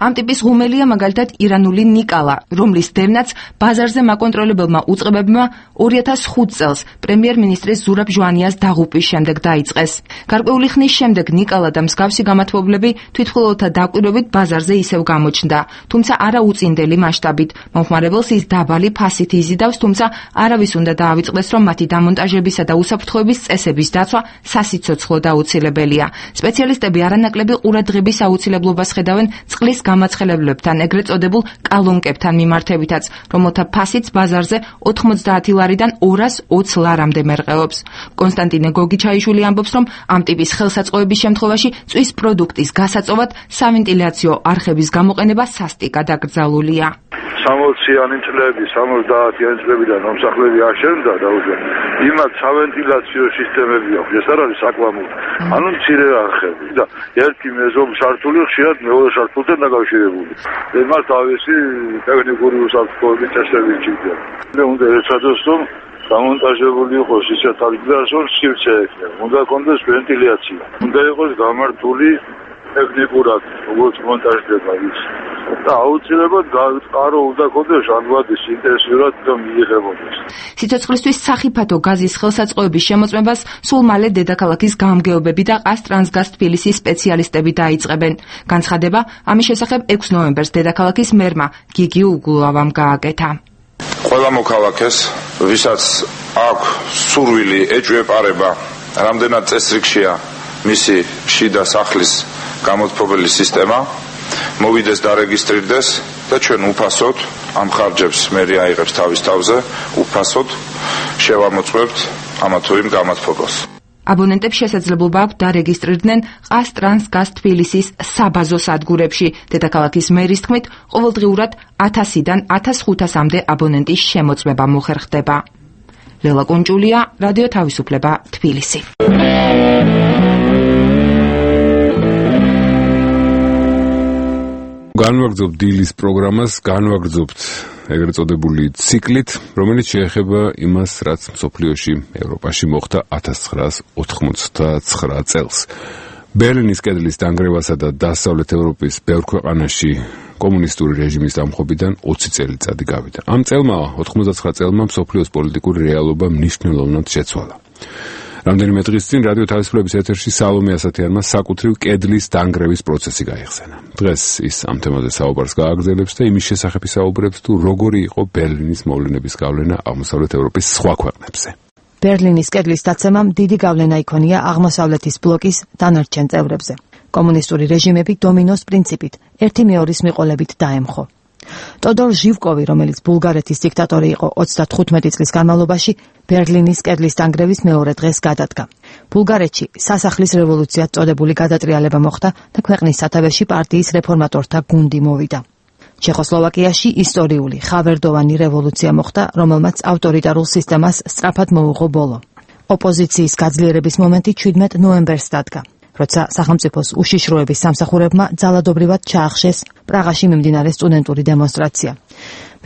ამ ტიპის ღუმელია მაგალითად ირანული ნიკალა, რომლის დევნაც ბაზარზე მაკონტროლებელმა უწყებებმა ორი ათას ხუთი წელს პრემიერ-მინისტრის ზურაბ ჟვანიას დაღუპვის შემდეგ დაიწყეს. გარკვეული ხნის შემდეგ ნიკალა და მსგავსი გამათბობლები თვითმხილველთა დაკვირვებით ბაზარზე ისევ გამოჩნდა, თუმცა არა უწინდელი მასშტაბით. მომხმარებელს ის დაბალი ფასით იზიდავს, თუმცა არავის უნდა დაავიწყდეს, რომ მათი დამონტაჟებისა და უსაფრთხოების წესების დაცვა სასიცოცხლო აუცილებელია. სპეციალისტები არანაკლები ყურადღების აუცილებლობას ხედავენ წყლის გამაცხელებლებთან, ეგრეთ წოდებულ კალონკებთან მიმართებითაც, რომელთა ფასიც ბაზარზე ოთხმოცდაათი ლარიდან ორას ოცი ლარამდე მერყეობს. კონსტანტინე გოგიჩაიშვილი ამბობს, რომ ამ ტიპის ხელსაწყოების შემთხვევაში წვის პროდუქტის გასაწოვად სავენტილიაციო არხების გამოყენება სასტიკად აკრძალულია. სამოციანი წლები, სამოცდაათიანი წლებიდან მომსახლები აშენდა და უკვე იმათ სავენტილიაციო სისტემები აქვს, ეს არ არის საკვამური. ანუ მცირე არხები და ერთი მეზობ სართული ხშირად მეორე სართულთან დაკავშირებული. მას თავისი ტექნიკური უსაფრთხოების წესები ჭირდება. მე უნდა ეცადოს, რომ გამონტაჟებული იყოს ისეთ ადგილას, რომ სივრცე ექნება. უნდა კონდეს ვენტილაცია. უნდა იყოს გამართული ტექნიკურად, როგორც მონტაჟდება ის. და აუცილებლად გაწყარო უნდა კონდეს ჟანგბადის ინტენსიურად და მიიღებოდეს. სიცოცხლისთვის სახიფათო გაზის ხელსაწყოების შემოწმებას სულ მალე დედაქალაქის გამგეობები და ყაზტრანსგაზ თბილისის სპეციალისტები დაიწყებენ. განცხადება ამის შესახებ ექვსი ნოემბერს დედაქალაქის მერმა გიგი უგულავამ გააკეთა. ყველა მოქალაქეს, ვისაც აქვს სურვილი ეჭვეპარება, რამდენად წესრიგშია მისი შიდა სახლის გამოთფობელი სისტემა, მოვიდეს დარეგისტრირდეს და ჩვენ უფასოდ ამ ხარჯებს მერი აიღებს თავის თავზე, უფასოდ შევამოწმებთ ამა თუ იმ გამოთფობას. აბონენტებს შესაძლებლობა აქვს დარეგისტრირდნენ ყაზტრანსგაზ თბილისის საბაზო სადგურებში. დედაქალაქის მერის თქმით, ყოველდღიურად ათასიდან ათას ხუთასამდე აბონენტის შემოწმება მოხერხდება. ლელა კუნჭულია, რადიო თავისუფლება, თბილისი. განვაგრძობთ დილის პროგრამას, განვაგრძობთ ეგრეთ წოდებული ციკლით, რომელიც შეეხება იმას, რაც მსოფლიოში, ევროპაში მოხდა ათას ცხრაას ოთხმოცდაცხრა წელს. ბერლინის კედლის დანგრევასა და დასავლეთ ევროპის ბევრ ქვეყანაში კომუნისტური რეჟიმის დამხობიდან ოცი წელიწადი გავიდა. ამ წელმა, ოთხმოცდაცხრა წელმა მსოფლიოს პოლიტიკური რეალობა მნიშვნელოვნად შეცვალა. რამდენიმე დღის წინ რადიო თავისუფლების ეთერში სალომე ასათიანმა საკუთრივ კედლის დანგრევის პროცესი გაიხსენა. დღეს ის ამ თემაზე საუბარს გააგრძელებს და იმის შესახებ ისაუბრებს, თუ როგორი იყო ბერლინის მოვლენების გავლენა აღმოსავლეთ ევროპის სხვა ქვეყნებზე. ბერლინის კედლის დაცემამ დიდი გავლენა იქონია აღმოსავლეთის ბლოკის დანარჩენ წევრებზე. კომუნისტური რეჟიმები დომინოს პრინციპით ერთი მეორის მიყოლებით დაემხო. ტოდორ ჟივკოვი, რომელიც ბულგარეთის დიქტატორი იყო ოცდათხუთმეტი წლის განმავლობაში, ბერლინის კედლის დანგრევის მეორე დღეს გადადგა. ბულგარეთში სასახლის რევოლუციად წოდებული გადატრიალება მოხდა და ქვეყნის სათავეში პარტიის რეფორმატორთა გუნდი მოვიდა. ჩეხოსლოვაკიაში ისტორიული ხავერდოვანი რევოლუცია მოხდა, რომელმაც ავტორიტარულ სისტემას სწრაფად მოუღო ბოლო. ოპოზიციის გაძლიერების მომენტი ჩვიდმეტ ნოემბერს დადგა, როცა სახელმწიფოს უშიშროების სამსახურებმა ძალადობრივად ჩაახშეს პრაღაში მიმდინარე სტუდენტური დემონსტრაცია.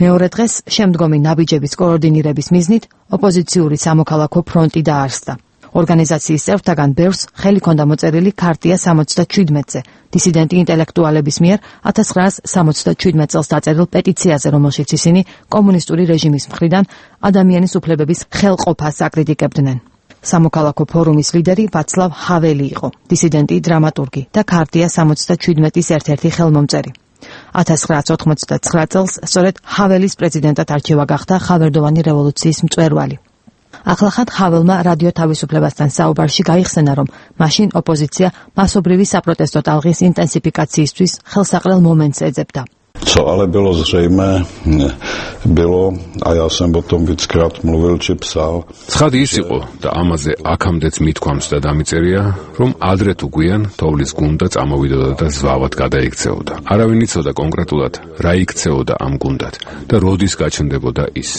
მეორე დღეს შემდგომი ნაბიჯების კოორდინირების მიზნით ოპოზიციური სამოქალაქო ფრონტი დაარსდა. ორგანიზაციის წევრთაგან ბევრს ხელი ჰქონდა მოწერილი ქარტია სამოცდაჩვიდმეტზე, დისიდენტი ინტელექტუალების მიერ ათას ცხრაას სამოცდაჩვიდმეტ წელს დაწერილ პეტიციაზე, რომელშიც ისინი კომუნისტური რეჟიმის მხრიდან ადამიანის უფლებების ხელყოფას აკრიტიკებდნენ. სამოქალაქო ფორუმის ლიდერი ვაცლავ ჰაველი იყო, დისიდენტი, დრამატურგი და ქარტია სამოცდაჩვიდმეტის ერთ-ერთი ხელმომწერი. ათას ცხრაას ოთხმოცდაცხრა წელს სწორედ ჰაველის პრეზიდენტად არჩევა გახდა ხავერდოვანი რევოლუციის მწვერვალი. ახლახან ჰაველმა რადიო თავისუფლებასთან საუბარში გაიხსენა, რომ მაშინ ოპოზიცია მასობრივი საპროტესტო ტალღის ინტენსიფიკაციისთვის ხელსაყრელ მომენტს ეძებდა. Co ale bylo zřejmé, bylo, a já jsem o tom víckrát mluvil či psal. ცხადი ის იყო და ამაზე აქამდეც მithქვამს და დამიწერია, რომ ადრე თუ გვიან თოვლის გუნდა წამოვიდოდა და ზვავად გადაიქცეოდა. არავინ იცოდა კონკრეტულად რა იქცეოდა ამ გუნდად და როდის გაჩნდებოდა ის.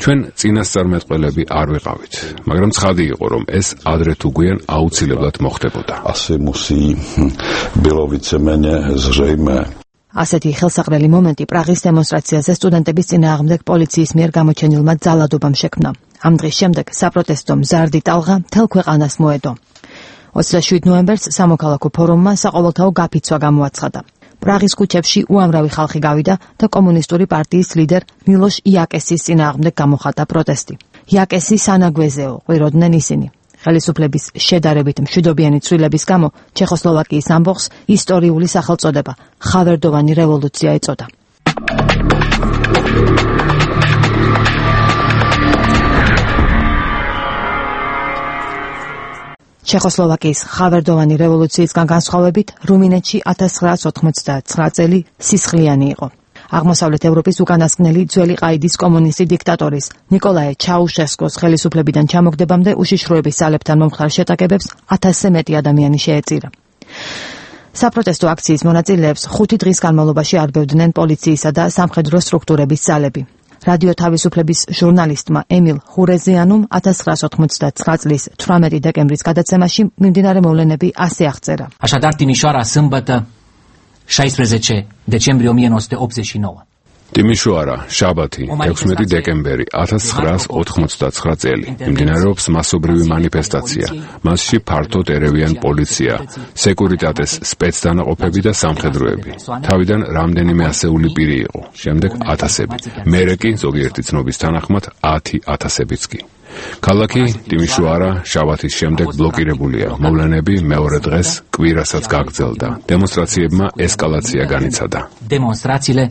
ჩვენ წინასწარმეტყველები არ ვიყავით, მაგრამ ცხადი იყო, რომ ეს ადრე თუ გვიან აუცილებლად მოხდებოდა. Asi musí bylo víceméně zřejmé. ასეთი ხელსაყრელი მომენტი პრაღის დემონსტრაციაზე სტუდენტების წინააღმდეგ პოლიციის მიერ გამოჩენილმა ძალადობამ შექმნა. ამ დღის შემდეგ საპროტესტო მზარდი ტალღა მთელ ქვეყანას მოედო. ოცდაშვიდ ნოემბერს სამოქალაქო ფორუმმა საყოველთაო გაფიცვა გამოაცხადა. პრაღის ქუჩებში უამრავი ხალხი გავიდა და კომუნისტური პარტიის ლიდერ მილოშ იაკესის წინააღმდეგ გამოხატა პროტესტი. იაკესი სანაგვეზეო ყვიროდნენ ისინი. ხელისუფლების შედარებით მშვიდობიანი ცვლილების გამო ჩეხოსლოვაკიის ამბოხს ისტორიული სახელწოდება ხავერდოვანი რევოლუცია ეწოდა. ჩეხოსლოვაკიის ხავერდოვანი რევოლუციისგან განსხვავებით რუმინეთში ათას ცხრაას ოთხმოცდაათი წელი სისხლიანი იყო. აღმოსავლეთ ევროპის უკანასკნელი ძველი ყაიდის კომუნისტი დიქტატორის ნიკოლაე ჩაუშესკოს ხელისუფლებიდან ჩამოგდებამდე უშიშროების ძალებთან მომხდარ შეტაკებებს ათასზე მეტი ადამიანი შეეწირა. საპროტესტო აქციის მონაწილეებს ხუთი დღის განმავლობაში არბევდნენ პოლიციისა და სამხედრო სტრუქტურების ძალები. რადიო თავისუფლების ჟურნალისტმა ემილ ხურეზიანუმ ათას ცხრაას ოთხმოცდათვრამეტი წლის თვრამეტი დეკემბრის გადაცემაში მიმდინარე მოვლენები ასე აღწერა. Așadar, Timișoara, sâmbătă, șaisprezece decembrie o mie nouă sute optzeci și nouă. ტიმიშოარა, შაბათი, ექვსმეტი დეკემბერი ათას ცხრაას ოთხმოცდათვრამეტი წელი. მიმდინარეობს მასობრივი მანიფესტაცია. მასში ფართოდ ერევიან პოლიცია, სეკურიტატეს სპეცდანაყოფები და სამხედროები. თავიდან რამდენიმე ასეული პირი იყო, შემდეგ ათასები. მერე კი ზოგიერთი ცნობის თანახმად ათი ათასებიც კი. ქალაქი ტიმიშოარა შაბათის შემდეგ ბლოკირებულია. მოვლენები მეორე დღეს კვირასაც გაგრძელდა. დემონსტრაციებმა ესკალაცია განიცადა. Demonstrațiile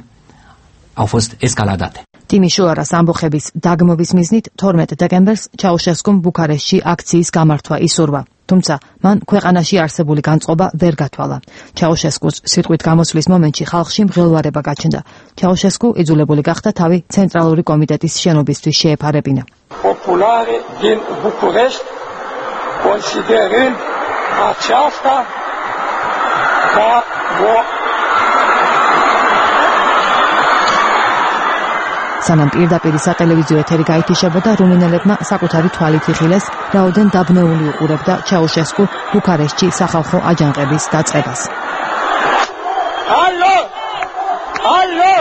au fost escaladate. ტიმიშოარას ამბოხების დაგმობის მიზნით თორმეტ დეკემბერს ჩაუშესკომ ბუქარესტში აქციის გამართვა ისურვა. თუმცა მან ქვეყანაში არსებული განწყობა ვერ გათვალა. ჩაუშესკუს სიტყვით გამოსვლის მომენტში ხალხში მღელვარება გაჩნდა. ჩაუშესკუ იძულებული გახდა თავი ცენტრალური კომიტეტის შენობისთვის შეეფარებინა. Populare din București considerând aceasta ca o სანამ პირდაპირ სატელევიზიო ეთერი გაითიშებოდა, რუმინელებმა საკუთარი თვალით იხილეს, რაოდენ დაბნეული უყურებდა ჩაუშესკუ ბუქარესტში სახალხო აჯანყების დაწყებას. Allo! Allo!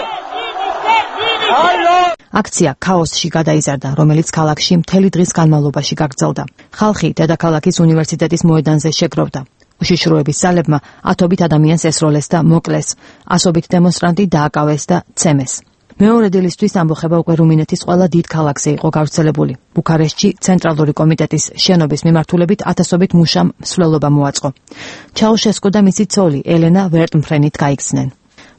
Allo! აქცია ქაოსში გადაიზარდა, რომელიც ქალაქში მთელი დღის განმავლობაში გაგრძელდა. ხალხი დედაქალაქის უნივერსიტეტის მოედანზე შეგროვდა. უშიშროების ძალებმა ათობით ადამიანს ესროლეს და მოკლეს. ასობით დემონსტრანტი დააკავეს და ცემეს. მეორე დილისთვის ამბოხება უკვე რუმინეთის ყველა დიდ ქალაქზე იყო გავრცელებული. ბუქარესტში ცენტრალური კომიტეტის შენობის მიმართულებით ათასობით მუშამ მსვლელობა მოაწყო. ჩაუშესკუ და მისი ცოლი ელენა ვერტმფრენით გაიქცნენ.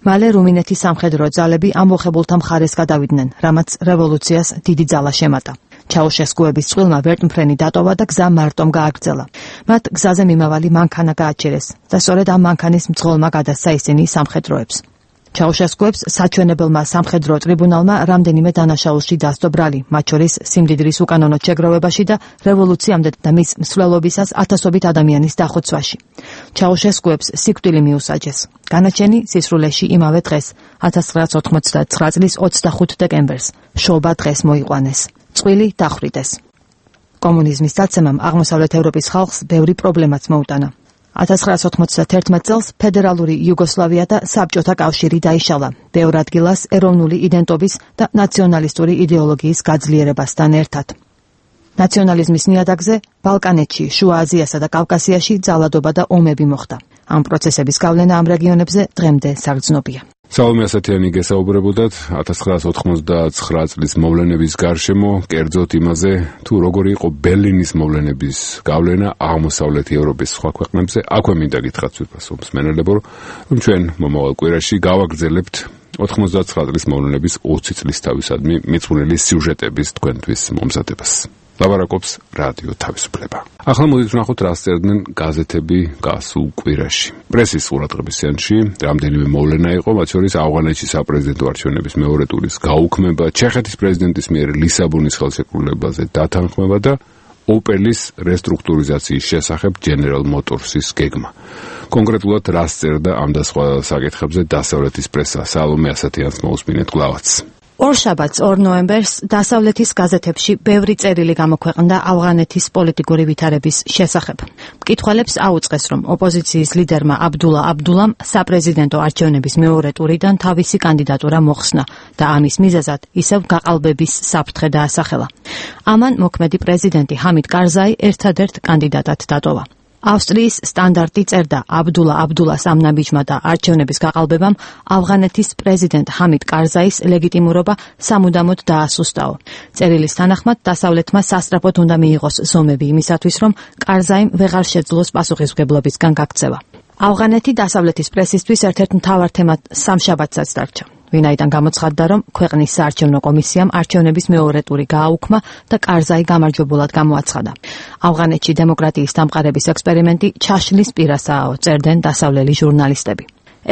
მალე რუმინეთის სამხედრო ძალები ამბოხებულთა მხარეს გადავიდნენ, რამაც რევოლუციას დიდი ძალა შემატა. ჩაუშესკუების წყვილმა ვერტმფრენი დატოვა და გზა მარტომ გააგრძელა. მათ გზაზე მიმავალი მანქანა გააჩერეს და სწორედ ამ მანქანის მძღოლმა გადასცა ისინი სამხედროებს. ჩაუშესკუებს საჩვენებელმა სამხედრო ტრიბუნალმა რამდენიმე დანაშაულში დასდო ბრალი, მათ შორის სიმდიდრის უკანონო შეგროვებაში და რევოლუციამდე და მის მსვლელობისას ათასობით ადამიანის დახოცვაში. ჩაუშესკუებს სიკვდილი მიუსაჯეს. განაჩენი სისრულეში იმავე დღეს, ათას ცხრაას ოთხმოცდათვრამეტი წლის ოცდახუთ დეკემბერს, შობა დღეს მოიყვანეს. წყვილი დახვრიტეს. კომუნიზმის დაცემამ აღმოსავლეთ ევროპის ხალხს ბევრი პრობლემაც მოუტანა. ათას ცხრაას ოთხმოცდაათი წელს ფედერალური იუგოსლავია და საბჭოთა კავშირი დაიშალა, ბევრ ადგილას ეროვნული იდენტობის და ნაციონალისტური იდეოლოგიის გაძლიერებასთან ერთად. ნაციონალიზმის ნიადაგზე ბალკანეთში, შუა აზიასა და კავკასიაში ძალადობა და ომები მოხდა. ამ პროცესების გავლენა ამ რეგიონებზე დღემდე საგრძნობია. სალომე ასათიანი გესაუბრებოდათ ათას ცხრაას ოთხმოცდათვრამეტი წლის მოვლენების გარშემო, კერძოდ იმაზე, თუ როგორი იყო ბერლინის მოვლენების გავლენა აღმოსავლეთ ევროპის სხვა ქვეყნებზე. აქვე მინდა გითხრათ ვიფასო მსმენელებო, რომ ჩვენ მომავალ კვირაში გავაგრძელებთ ოთხმოცდათვრამეტი წლის მოვლენების ოცი წლის თავისადმი მიძღვნილი სიუჟეტების თქვენთვის მომზადებას. ლაბარაკობს რადიო თავისუფლება. ახლა მოდით ვნახოთ რა წერდნენ გაზეთები გასულ კვირაში. პრესის ყურადღების ცენტრში რამდენიმე მოვლენა იყო, მათ შორის ავღანეთში საპრეზიდენტო არჩევნების მეორე ტურის გაუქმება, ჩეხეთის პრეზიდენტის მიერ ლისაბონის ხელშეკრულებაზე დათანხმება და ოპელის რესტრუქტურიზაციის შესახებ General Motors-ის გეგმა. კონკრეტულად რა წერდა ამ და სხვა საკითხებზე დასავლეთის პრესა? სალომე ასათიანს მოусმინეთ კლავაც. ორშაბათს ორ ნოემბერს დასავლეთის გაზეთებში ბევრი წერილი გამოქვეყნდა ავღანეთის პოლიტიკური ვითარების შესახებ. მკითხველებს აუწყეს, რომ ოპოზიციის ლიდერმა აბდულა აბდულამ საპრეზიდენტო არჩევნების მეორე ტურიდან თავისი კანდიდატურა მოხსნა და ამის მიზეზად ისევ გაყალბების საფრთხე დაასახელა. ამან მოქმედი პრეზიდენტი ჰამიდ კარზაი ერთადერთ კანდიდატად დატოვა. ავსტრიის სტანდარტი წერდა აბდულა აბდულას ამ ნაბიჯმა და არჩევნების გაყალბებამ ავღანეთის პრეზიდენტ ჰამიდ კარზაის ლეგიტიმურობა სამუდამოდ დაასუსტაო. წერილის თანახმად დასავლეთმა სასწრაფოდ უნდა მიიღოს ზომები იმისათვის, რომ კარზაიმ ვეღარ შეძლოს პასუხისმგებლობისგან გაქცევა. ავღანეთი დასავლეთის პრესისთვის ერთ-ერთ მთავარ თემად სამშაბათსაც დარჩა. ვინაიდან გამოცხადდა, რომ ქვეყნის საარჩევნო კომისიამ არჩევნების მეორე ტური გააუქმა და კარზაი გამარჯვებულად გამოაცხადა. ავღანეთში დემოკრატიის დამყარების ექსპერიმენტი ჩაშლის პირასაა, წერდნენ დასავლელი ჟურნალისტები.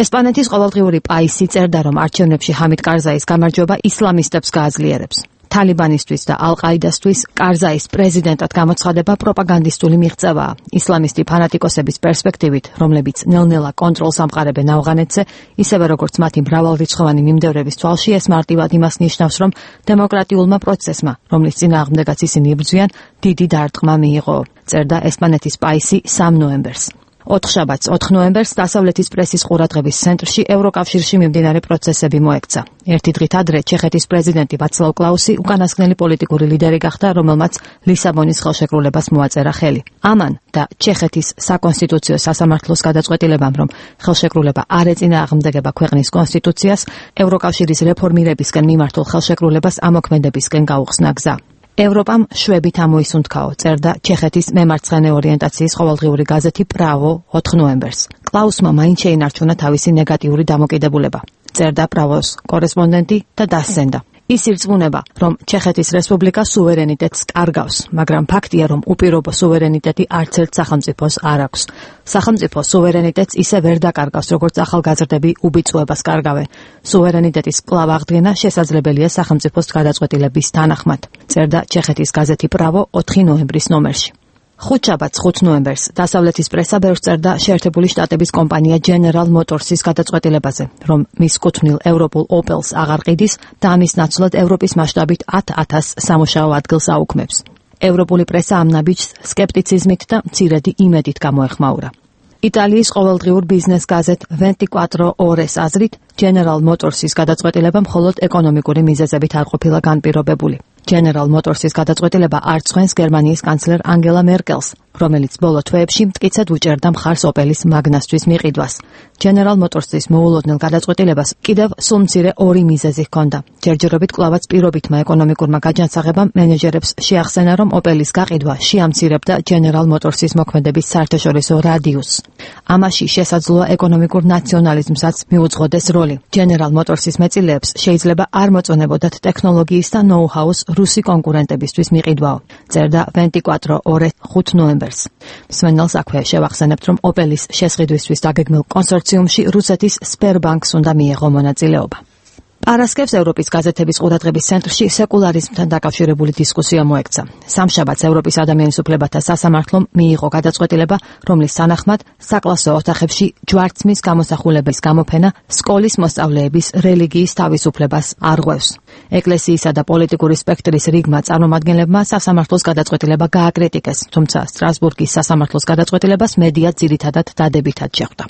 ესპანეთის ყოველდღიური პაისი წერდა, რომ არჩევნებში ჰამიდ კარზაის გამარჯვება ისლამისტებს გააძლიერებს. თალიბანისთვის და ალ-ყაიდასთვის კარზაის პრეზიდენტად გამოცხადება პროპაგანდისტული მიღწევაა. ისლამისტი ფანატიკოსების პერსპექტივით, რომლებიც ნელ-ნელა კონტროლს ამყარებენ ავღანეთზე, ისევე როგორც მათი მრავალრიცხოვანი მიმდევრების თვალში, ეს მარტივად იმას ნიშნავს, რომ დემოკრატიულმა პროცესმა, რომლის წინააღმდეგაც ისინი იბრძვიან, დიდი დარტყმა მიიღო, წერდა ესპანეთის პაისი სამ ნოემბერს. ოთხშაბათს ოთხ ნოემბერს დასავლეთის პრესის ყურადღების ცენტრში ევროკავშირში მიმდინარე პროცესები მოექცა. ერთი დღით ადრე ჩეხეთის პრეზიდენტი ვაცლავ კლაუსი უკანასკნელი პოლიტიკური ლიდერი გახდა, რომელმაც ლისაბონის ხელშეკრულებას მოაწერა ხელი. ამან და ჩეხეთის საკონსტიტუციო სასამართლოს გადაწყვეტილებამ, რომ ხელშეკრულება არ ეწინააღმდეგება ქვეყნის კონსტიტუციას, ევროკავშირის რეფორმირებისკენ მიმართულ ხელშეკრულებას ამოქმედებისკენ გაუხსნა გზა. ევროპამ შვებით ამოისუნთქაო, წერდა ჩეხეთის მემარცხენე ორიენტაციის ყოველდღიური გაზეთი პრავო ოთხ ნოემბერს. კლაუსმა მაინც შეინარჩუნა თავისი ნეგატიური დამოკიდებულება, წერდა პრავოს კორესპონდენტი და დასცენდა. ის ირწმუნება, რომ ჩეხეთის რესპუბლიკა სუვერენიტეტს კარგავს, მაგრამ ფაქტია, რომ უპირობო სუვერენიტეტი არც ერთ სახელმწიფოს არ აქვს. სახელმწიფო სუვერენიტეტს ისე ვერ დაკარგავს, როგორც ახალგაზრდები უბიწუებას კარგავენ. სუვერენიტეტის კვლავ აღდგენა შესაძლებელია სახელმწიფოს გადაწყვეტილების თანახმად, წერდა ჩეხეთის გაზეთი პრავო ოთხი ნოემბრის ნომერში. ხუთშაბათს ხუთ ნოემბერს დასავლეთის პრესა ბევრს წერდა შეერთებული შტატების კომპანია General Motors-ის გადაწყვეტილებაზე, რომ მის კუთვნილ ევროპულ ოპელს აღარ ყიდის და ამის ნაცვლად ევროპის მასშტაბით ათ ათასს სამუშაო ადგილს აუქმებს. ევროპული პრესა ამ ნაბიჯს სკეპტიციზმით და მცირედი იმედით გამოეხმაურა. იტალიის ყოველდღიურ ბიზნეს გაზეთ ventiquattro ores აზრით General Motors-ის გადაწყვეტილება მხოლოდ ეკონომიკური მიზეზებით არ ყოფილა განპირობებული. General Motors-ის გადაწყვეტილება არ წვენს გერმანიის კანცლერ ანგელა მერკელს, რომელიც ბოლო თვეებში მტკიცედ უჭერდა მხარს ოპელის მაგნასთვის მიყიდვას. General Motors-ის მოულოდნელ გადაწყვეტილებას კიდევ სულ მცირე ორი მიზეზი ჰქონდა. ჯერჯერობით კვლავაც პირობითმა ეკონომიკურმა გაჯანსაღებამ მენეჯერებს შეახსენა, რომ ოპელის გაყიდვა შეამცირებდა General Motors-ის მოქმედების საერთაშორისო რადიუსს. ამაში შესაძლოა ეკონომიკურ ნაციონალიზმსაც მიუძღოდეს როლი. General Motors-ის მეწილეებს შეიძლება არ მოწონებოდათ ტექნოლოგიის და ნოუ-ჰაუს რუსი კონკურენტებისთვის მიყიდვაო, წერდა ventiquattro ore ხუთ ნოემბერს. მსმენელს აქვე შევახსენებთ, რომ ოპელის შესყიდვისთვის დაგეგმილ კონსორციუმში რუსეთის სპერბანკს უნდა მიეღო მონაწილეობა. პარასკევს ევროპის გაზეთების ყურადღების ცენტრში სეკულარიზმთან დაკავშირებული დისკუსია მოექცა. სამშაბათს ევროპის ადამიანის უფლებათა სასამართლომ მიიღო გადაწყვეტილება, რომლის თანახმად საკლასო ოთახებში ჯვარცმის გამოსახულების გამოფენა სკოლის მოსწავლეების რელიგიის თავისუფლებას არღვევს. ეკლესიისა და პოლიტიკური სპექტრის რიგმა წარმომადგენლებმა სასამართლოს გადაწყვეტილება გააკრიტიკეს, თუმცა სტრასბურგის სასამართლოს გადაწყვეტილებას მედია ძირითადად დადებითად შეხვდა.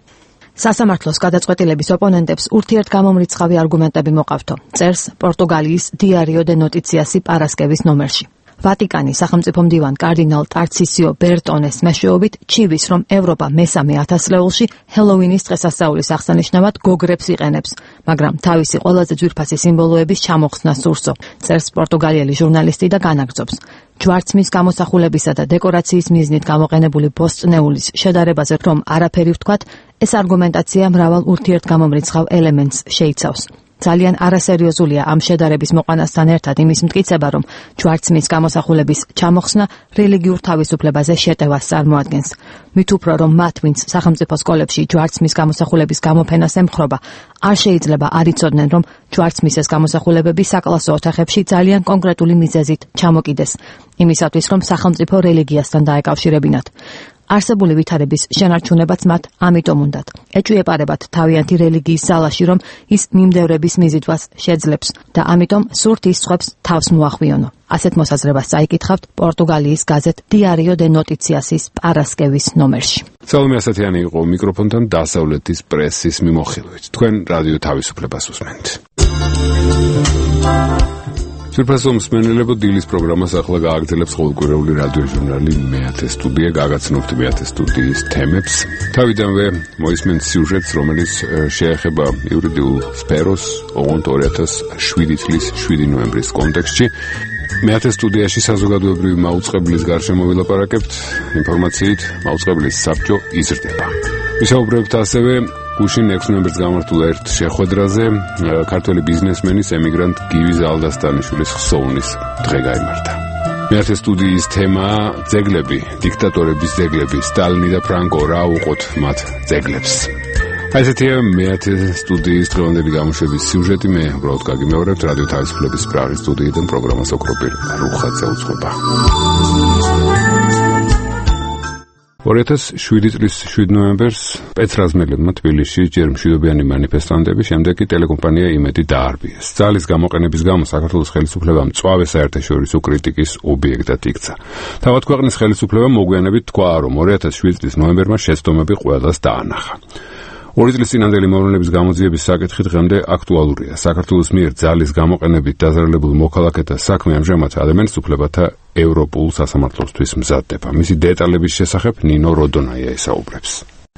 სასამართლოს გადაწყვეტილების ოპონენტებს ურთიერთგამომრიცხავი არგუმენტები მოყავთო, წერს პორტუგალიის დიარიო დე ნოტიციასი პარასკევის ნომერში. ვატიკანი სახელმწიფო მდივან კარდინალ ტარცისიო ბერტონეს მეშვეობით ჩივის, რომ ევროპა მესამე ათასწლეულში ჰელოვინის დღესასწაულის აღსანიშნავად გოგრებს იყენებს, მაგრამ თავისი ყველაზე ძვირფასი სიმბოლოების ჩამოხსნა სურსო, წერს პორტუგალიელი ჟურნალისტი და განაგრძობს. ჯვარცმის გამოსახულებისა და დეკორაციის მიზნით გამოყენებული ბოსტნეულის შედარებაზე რომ არაფერი ვთქვათ, ეს არგუმენტაცია მრავალ ურთიერთგამომრიცხავ ელემენტს შეიცავს. ძალიან არასერიოზულია ამ შედარების მოყვანასთან ერთად იმის მტკიცება, რომ ჯვარცმის გამოსახულების ჩამოხსნა რელიგიურ თავისუფლებაზე შეტევას წარმოადგენს. მით უფრო რომ მათ, ვინც სახელმწიფო სკოლებში ჯვარცმის გამოსახულების გამოფენას ემხრობა, არ შეიძლება არ იცოდნენ, რომ ჯვარცმის ეს გამოსახულებები საკლასო ოთახებში ძალიან კონკრეტული მიზეზით ჩამოკიდეს, იმისათვის, რომ სახელმწიფო რელიგიასთან დაეკავშირებინათ. არსებული ვითარების შენარჩუნებაც მათ ამიტომ უნდათ. ეჭვიეპარებათ თავიანთი რელიგიის ძალაში, რომ ის მიმდევრების მიზიდვას შეძლებს და ამიტომ სურთ ის სხვებს თავს მოახვიონო. ასეთ მოსაზრებას წაიკითხავთ პორტუგალიის გაზეთ Diario de Noticias-ის პარასკევის ნომერში. ცალმე ასათიანი იყო მიკროფონთან დასავლეთის პრესის მიმოხილვით. თქვენ რადიო თავისუფლებას უსმენთ. სურფასო მსმენელებო, დილის პროგრამას ახლა გააგრძელებს ყოველკვირეული რადიო ჟურნალი მეათე სტუდია. გაგაცნობთ მეათე სტუდიის თემებს. თავიდანვე მოისმენთ სიუჟეტს, რომელიც შეეხება იურიდიულ სფეროს, ოღონდ ორი ათას შვიდი წლის შვიდი ნოემბრის კონტექსტში. მეათე სტუდიაში საზოგადოებრივი მაუწყებლის გარშემო ვილაპარაკებთ. ინფორმაციით მაუწყებლის საბჭო იზრდება. ვისაუბრებთ ასევე გუშინ ექვსი ნოემბერს გამართულ ერთ შეხვედრაზე ქართველი ბიზნესმენის ემიგრანტ გივი ზალდასტანიშვილის ხსოვნის დღე გაიმართა. მეათე სტუდიის თემაა ძეგლები, დიქტატორების ძეგლები, სტალინი და ფრანკო, რა უყოთ მათ ძეგლებს. აი ესეთია მეათე სტუდიის დღევანდელი გამოშვების სიუჟეტი. მე უბრალოდ გაგიმეორებთ რადიო თავისუფლების პრაღის სტუდიიდან პროგრამას ოქროპირ რუხაძე უძღვება. ორი ათას შვიდი წლის შვიდი ნოემბერს პეტრაზმელებმა თბილისში ჯერ მშვიდობიანი მანიფესტანტები, შემდეგ კი ტელეკომპანია იმედი დაარბიეს. ძალის გამოყენების გამო საქართველოს ხელისუფლებამ მწვავე საერთაშორისო კრიტიკის ობიექტად იქცა. თავად ქვეყნის ხელისუფლებამ მოგვიანებით თქვა, რომ ორი ათას შვიდი წლის ნოემბერმა შეცდომები ყველას დაანახა. ორი წლის წინანდელი მოვლენების გამოძიების საკითხი დღემდე აქტუალურია. საქართველოს მიერ ძალის გამოყენებით დაზარალებულ მოქალაქეთა საქმე ამჟამად ადამიანის უფლებათა ევროპულ სასამართლოსთვის მზადდება. მისი დეტალების შესახებ ნინო როდონაია ესაუბრებს.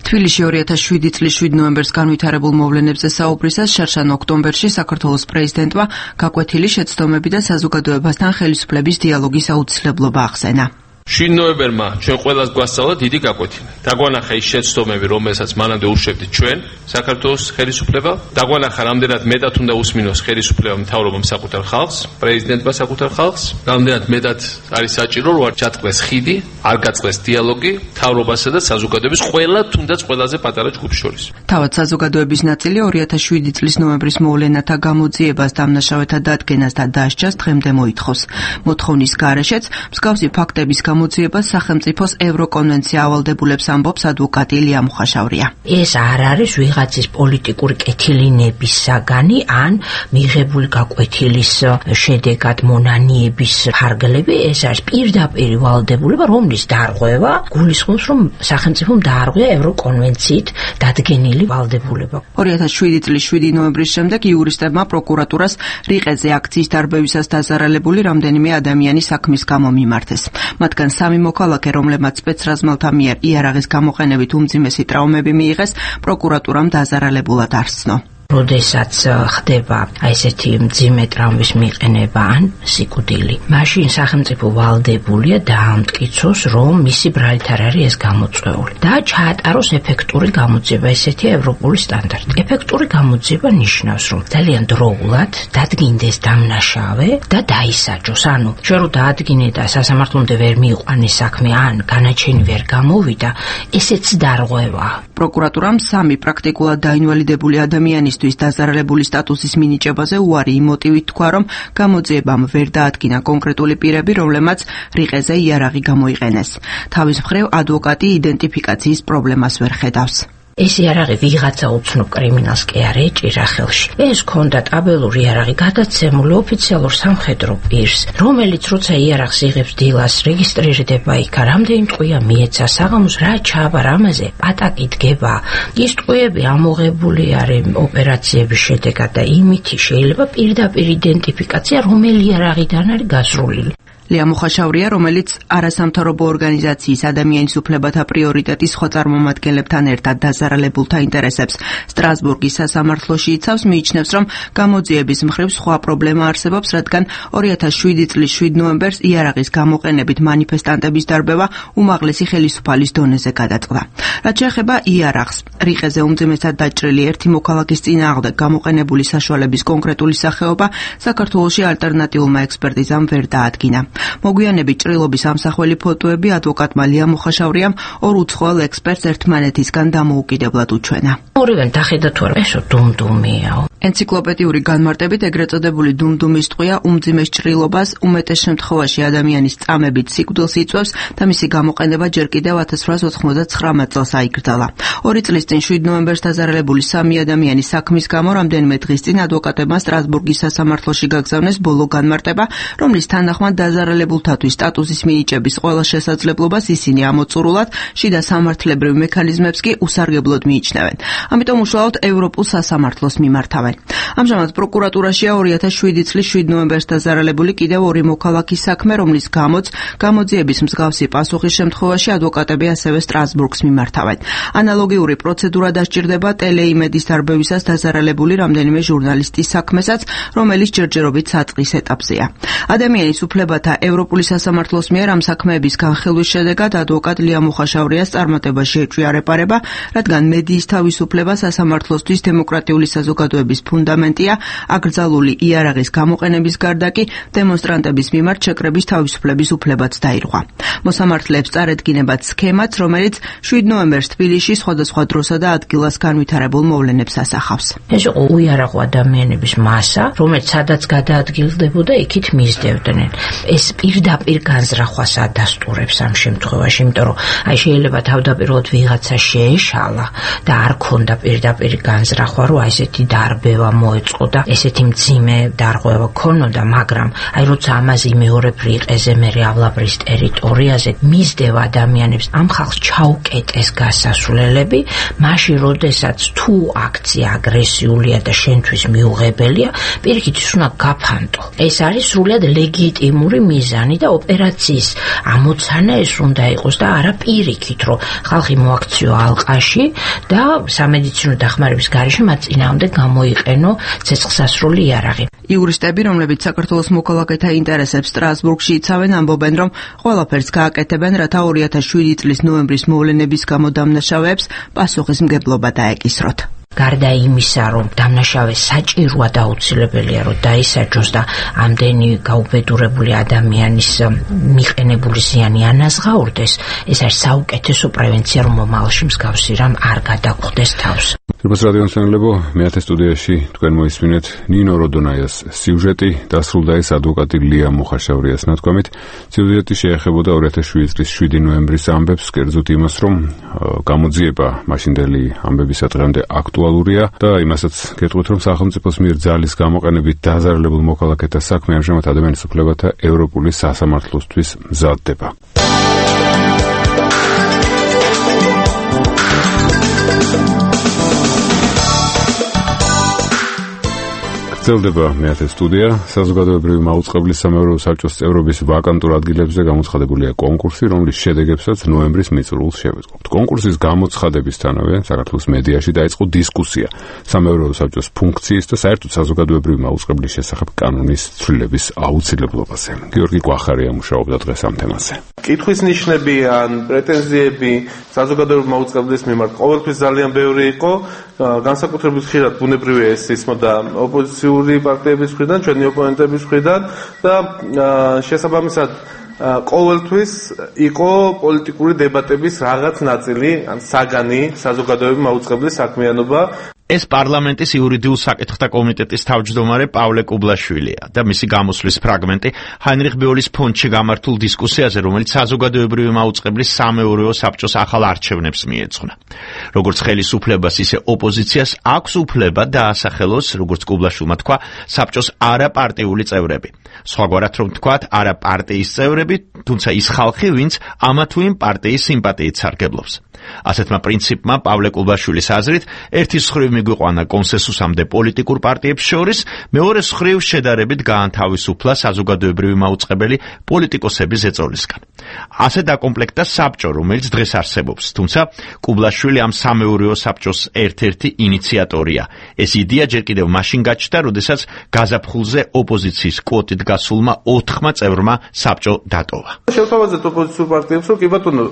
თბილისში ორი ათას შვიდი წლის შვიდი ნოემბერს განვითარებულ მოვლენებზე საუბრისას შარშან ოქტომბერში საქართველოს პრეზიდენტმა გაკვეთილი შეცდომები და საზოგადოებასთან ხელისუფლების დიალოგის აუცილებლობა ახსენა. შვიდი ნოემბერმა ჩვენ ყველას გვასწავლა დიდი გაკვეთილი. დაგვანახა ის შეცდომები, რომელსაც მანამდე ურჩევდით ჩვენ, საქართველოს ხელისუფლება. დაგვანახა რამდენად მეტად უნდა უსმინოს ხელისუფლება მთავრობამ საკუთარ ხალხს, პრეზიდენტმა საკუთარ ხალხს. რამდენად მეტად არის საჭირო, რომ არ ჩატყდეს ხიდი, არ გაწყდეს დიალოგი მთავრობასა და საზოგადოების ყველა, თუნდაც ყველაზე პატარა ჯგუფს შორის. თავად საზოგადოების ნაწილი ორი ათას შვიდი წლის ნოემბრის მოვლენათა გამოძიებას, დამნაშავეთა დადგენას და დასჯას დღემდე მოითხოვს. მოთხოვნის გარეშეც მსგავსი ფაქტების გამოძიებას სახელმწიფოს ევროკონვენცია ავალდებულებს ამბობს ადვოკატი ილია მუხაშავრია. ეს არ არის ვიღაცის პოლიტიკური კეთილინების საგანი ან მიღებული გაკვეთილის შედეგად მონანიების ფარგლები, ეს არის პირდაპირ ვალდებულება, რომლის დარღვევა გულისხმობს, რომ სახელმწიფომ დაარღვია ევროკონვენციით დადგენილი ვალდებულება. ორი ათას შვიდი წლის შვიდი ნოემბრის შემდეგ იურისტებმა პროკურატურას რიყეზე აქციის დარბევისას დაზარალებული რამდენიმე ადამიანის საქმის გამო მიმართეს. მათგან სამი მოქალაქე, რომლებმაც სპეცრაზმელთა მიერ იარაღის გამოყენებით უმძიმესი ტრავმები მიიღეს, პროკურატურამ დაზარალებულად არსცნო. როდესაც ხდება აი ესეთი მძიმე ტრავმის მიყენება ან სიკვდილი, მაშინ სახელმწიფო ვალდებულია დაამტკიცოს, რომ მისი ბრალით არ არის ეს გამოწვეული და ჩაატაროს ეფექტური გამოძიება. ესეთია ევროპული სტანდარტი. ეფექტური გამოძიება ნიშნავს, რომ ძალიან დროულად დადგინდეს დამნაშავე და დაისაჯოს. ანუ შენ რო დაადგინე და სასამართლომდე ვერ მიიყვანეს საქმე ან განაჩენი ვერ გამოვიდა, ესეც დარღვევაა. პროკურატურამ სამი პრაქტიკულად დაინვალიდებული ადამიანის დაზარალებული სტატუსის მინიჭებაზე უარი იმ მოტივით თქვა, რომ გამოძიებამ ვერ დაადგინა კონკრეტული პირები, რომლებმაც რიყეზე იარაღი გამოიყენეს. თავის მხრივ ადვოკატი იდენტიფიკაციის პრობლემას ვერ ხედავს. ეს იარაღი ვიღაცა უცნობ კრიმინალს კი არ ეჭირა ხელში. ეს ქონდა ტაბელური იარაღი გადაცემული ოფიციალურ სამხედრო პირს, რომელიც როცა იარაღს იღებს დილას, რეგისტრირდება იქა, რამდენი ტყვია მიეცა საღამოს, რა ჩააბარ ამაზე, პატაკი დგება. ის ტყვიები ამოღებული არის ოპერაციების შედეგად და იმითი შეიძლება პირდაპირ იდენტიფიკაცია, რომელი იარაღიდან არის გასრულილი. ლია მუხაშავრია, რომელიც არასამთავრობო ორგანიზაციის ადამიანის უფლებათა პრიორიტეტის სხვა წარმომადგენლებთან ერთად დაზარალებულთა ინტერესებს სტრასბურგის სასამართლოში იცავს, მიიჩნევს, რომ გამოძიების მხრივ სხვა პრობლემა არსებობს, რადგან ორი ათას შვიდი წლის შვიდ ნოემბერს იარაღის გამოყენებით მანიფესტანტების დარბევა უმაღლესი ხელისუფალის დონეზე გადაწყდა. რაც შეეხება იარაღს, რიყეზე უმძიმესად დაჭრილი ერთი მოქალაქის წინააღმდეგ გამოყენებული საშუალების კონკრეტული სახეობა საქართველოში ალტერნატიულმა ექსპერტიზამ ვერ დაადგინა. მოგვიანებით ჭრილობის ამსახველი ფოტოები ადვოკატმა ლია მუხაშავრიამ ორ უცხოელ ექსპერტს ერთმანეთისგან დამოუკიდებლად უჩვენა. ორივენ დახედა თუ არა, ესო დუმდუმიაო. ენციკლოპედიური განმარტებით ეგრეთ წოდებული დუმდუმის ტყვია უმძიმეს ჭრილობას უმეტეს შემთხვევაში ადამიანის წამებით სიკვდილს იწვევს და მისი გამოყენება ჯერ კიდევ ათას რვაას ოცდათხმეტ წელს აიკრძალა. ორი წლის წინ შვიდ ნოემბერს დაზარალებული სამი ადამიანის საქმის გამო რამდენიმე დღის წინ ადვოკატებმა სტრასბურგის სასამართლოში გაგზავნეს ბოლო განმარტება, რომლის თანახმად დაზარალებულთათვის სტატუსის მინიჭების ყველა შესაძლებლობას ისინი ამოწურულად, შიდა სამართლებრივ მექანიზმებს კი უსარგებლოდ მიიჩნევენ. ამიტომ უშუალოდ ევროპულ სასამართლოს მიმართავენ. ამჟამად პროკურატურაშია ორი ათას შვიდი წლის შვიდ ნოემბერს დაზარალებული კიდევ ორი მოქალაქის საქმე, რომლის გამოც გამოძიების მსგავსი პასუხის შემთხვევაში ადვოკატები ასევე სტრასბურგს მიმართავენ. ანალოგიური პროცედურა დასჭირდება ტელეიმედის დარბევისას დაზარალებული რამდენიმე ჟურნალისტის საქმესაც, რომელიც ჯერჯერობით საწყის ეტაპზეა. ადამიანის უფლებათა ევროპული სასამართლოს მიერ ამ საქმეების განხილვის შედეგად ადვოკატ ლია მუხაშავრიას წარმატებაში ეჭვია რეპარება, რადგან მედიის თავისუფლება სასამართლოსთვის დემოკრატიული საზოგადოების ფუნდამენტია, აკრძალული იარაღის გამოყენების გარდა კი დემონსტრანტების მიმართ შეკრების თავისუფლების უფლებაც დაირღვა. მოსამართლეებს წარედგინებათ სქემაც, რომელიც შვიდ ნოემბერს თბილისში სხვადასხვა დროსა და ადგილას განვითარებულ მოვლენებს ასახავს. ეს იყო უიარაღო ადამიანების მასა, რომელიც სადაც გადაადგილდებოდა, იქით მისდევდნენ. ეს პირდაპირ განზრახვას ადასტურებს ამ შემთხვევაში, იმიტომ რომ აი შეიძლება თავდაპირველად ვიღაცა შეეშალა და არ ქონდა პირდაპირ განზრახვა, რომ აი ესეთი დარბევა მოეწყო და ესეთი მძიმე დარღვევა ქონოდა, მაგრამ აი როცა ამაზე მეორე რიყეზე მერე ავლაბრის ტერიტორიაზე მისდევა ადამიანებს ამ ხალხს ჩაუკეტეს გასასვლელები, მაშინ როდესაც თუ აქცია აგრესიულია და შენთვის მიუღებელია, პირიქით ის უნდა გაფანტო. ეს არის სრულად ლეგიტიმური მიზანი და ოპერაციის ამოცანა ეს უნდა იყოს და არა პირიქით, რომ ხალხი მოაქციო ალყაში და სამედიცინო დახმარების გარეშე მათ წინააღმდეგ გამოიყენო ცეცხლსასროლი იარაღი. იურისტები, რომლებიც საქართველოს მოქალაქეთა ინტერესებს სტრასბურგში იცავენ, ამბობენ, რომ ყველაფერს გააკეთებენ, რათა ორი ათას შვიდი წლის ნოემბრის მოვლენების გამო დამნაშავეებს პასუხისმგებლობა დაეკისროთ. გარდა იმისა, რომ დამნაშავე საჭიროა და აუცილებელია, რომ დაისაჯოს და ამდენი გაუბედურებული ადამიანის მიყენებული ზიანი ანაზღაურდეს, ეს არის საუკეთესო პრევენცია, რომ მომავალში მსგავსი რამ არ გადაგხვდეს თავს. Რუბას რადიოსანელებო, მეათე სტუდიაში თქვენ მოისმინეთ ნინო როდონაიას სიუჟეტი, დასრულდა ეს ადვოკატი ლია მუხაშავრიას ნათქვამით. სიუჟეტი შეეხებოდა ორი ათას შვიდი წლის შვიდი ნოემბრის ამბებს, კერძოდ იმას, რომ გამოძიება მაშინდელი ამბებისა დღემდე აქტუალურია და იმასაც გეტყვით, რომ სახელმწიფოს მიერ ძალის გამოყენებით დაზარალებულ მოქალაქეთა საქმე ამჟამად ადამიანის უფლებათა ევროპული სასამართლოსთვის მზადდება. გრძელდება მეათე სტუდია. საზოგადოებრივი მაუწყებლის სამეურვეო საბჭოს წევრობის ვაკანტურ ადგილებზე გამოცხადებულია კონკურსი, რომლის შედეგებსაც ნოემბრის მიწურულს შევეწყობთ. კონკურსის გამოცხადებისთანავე საქართველოს მედიაში დაიწყო დისკუსია სამეურვეო საბჭოს ფუნქციის და საერთოდ საზოგადოებრივი მაუწყებლის შესახებ კანონის ცვლილების აუცილებლობაზე. გიორგი კვახარია მუშაობდა დღეს ამ თემაზე. კითხვის ნიშნები ან პრეტენზიები საზოგადოებრივი მაუწყებლის მიმართ ყოველთვის ძალიან ბევრი იყო, განსაკუთრებით ხშირად ბუნებრივია ეს ისმოდა ოპოზიციური პარტიების მხრიდან, ჩვენი ოპონენტების მხრიდან და შესაბამისად ყოველთვის იყო პოლიტიკური დებატების რაღაც ნაწილი, ან საგანი საზოგადოებრივი მაუწყებლის საქმიანობა. ეს პარლამენტის იურიდიულ საკითხთა კომიტეტის თავმჯდომარე პავლე კუბლაშვილია და მისი გამოსვლის ფრაგმენტი ჰაინრიხ ბეოლის ფონდში გამართულ დისკუსიაზე, რომელიც საზოგადოებრივი მაუწყებლის სამეურვეო საბჭოს ახალ არჩევნებს მიეძღვნა. როგორც ხელისუფლებას, ისე ოპოზიციას აქვს უფლება დაასახელოს, როგორც კუბლაშვილმა თქვა, საბჭოს არაპარტიული წევრები. სხვაგვარად რომ თქვათ, არა პარტიის წევრები, თუმცა ის ხალხი, ვინც ამა თუ იმ პარტიის სიმპათიით სარგებლობს. ასეთმა პრინციპმა პავლე კუბლაშვილის აზრით, ერთის მხრივ მიგვიყვანა კონსენსუსამდე პოლიტიკურ პარტიებს შორის, მეორე მხრივ შედარებით გაანთავისუფლა საზოგადოებრივი მაუწყებელი პოლიტიკოსების ეწოლისგან. ასე დაკომპლექტდა საბჭო, რომელიც დღეს არსებობს, თუმცა კუბლაშვილი ამ სამეურვეო საბჭოს ერთ-ერთი ინიციატორია. ეს იდეა ჯერ კიდევ მაშინ გაჩნდა, როდესაც გაზაფხულზე ოპოზიციის კვოტით გასულმა ოთხმა წევრმა საბჭო დატოვა. შევთავაზეთ ოპოზიციურ პარტიებს, რომ კი ბატონო,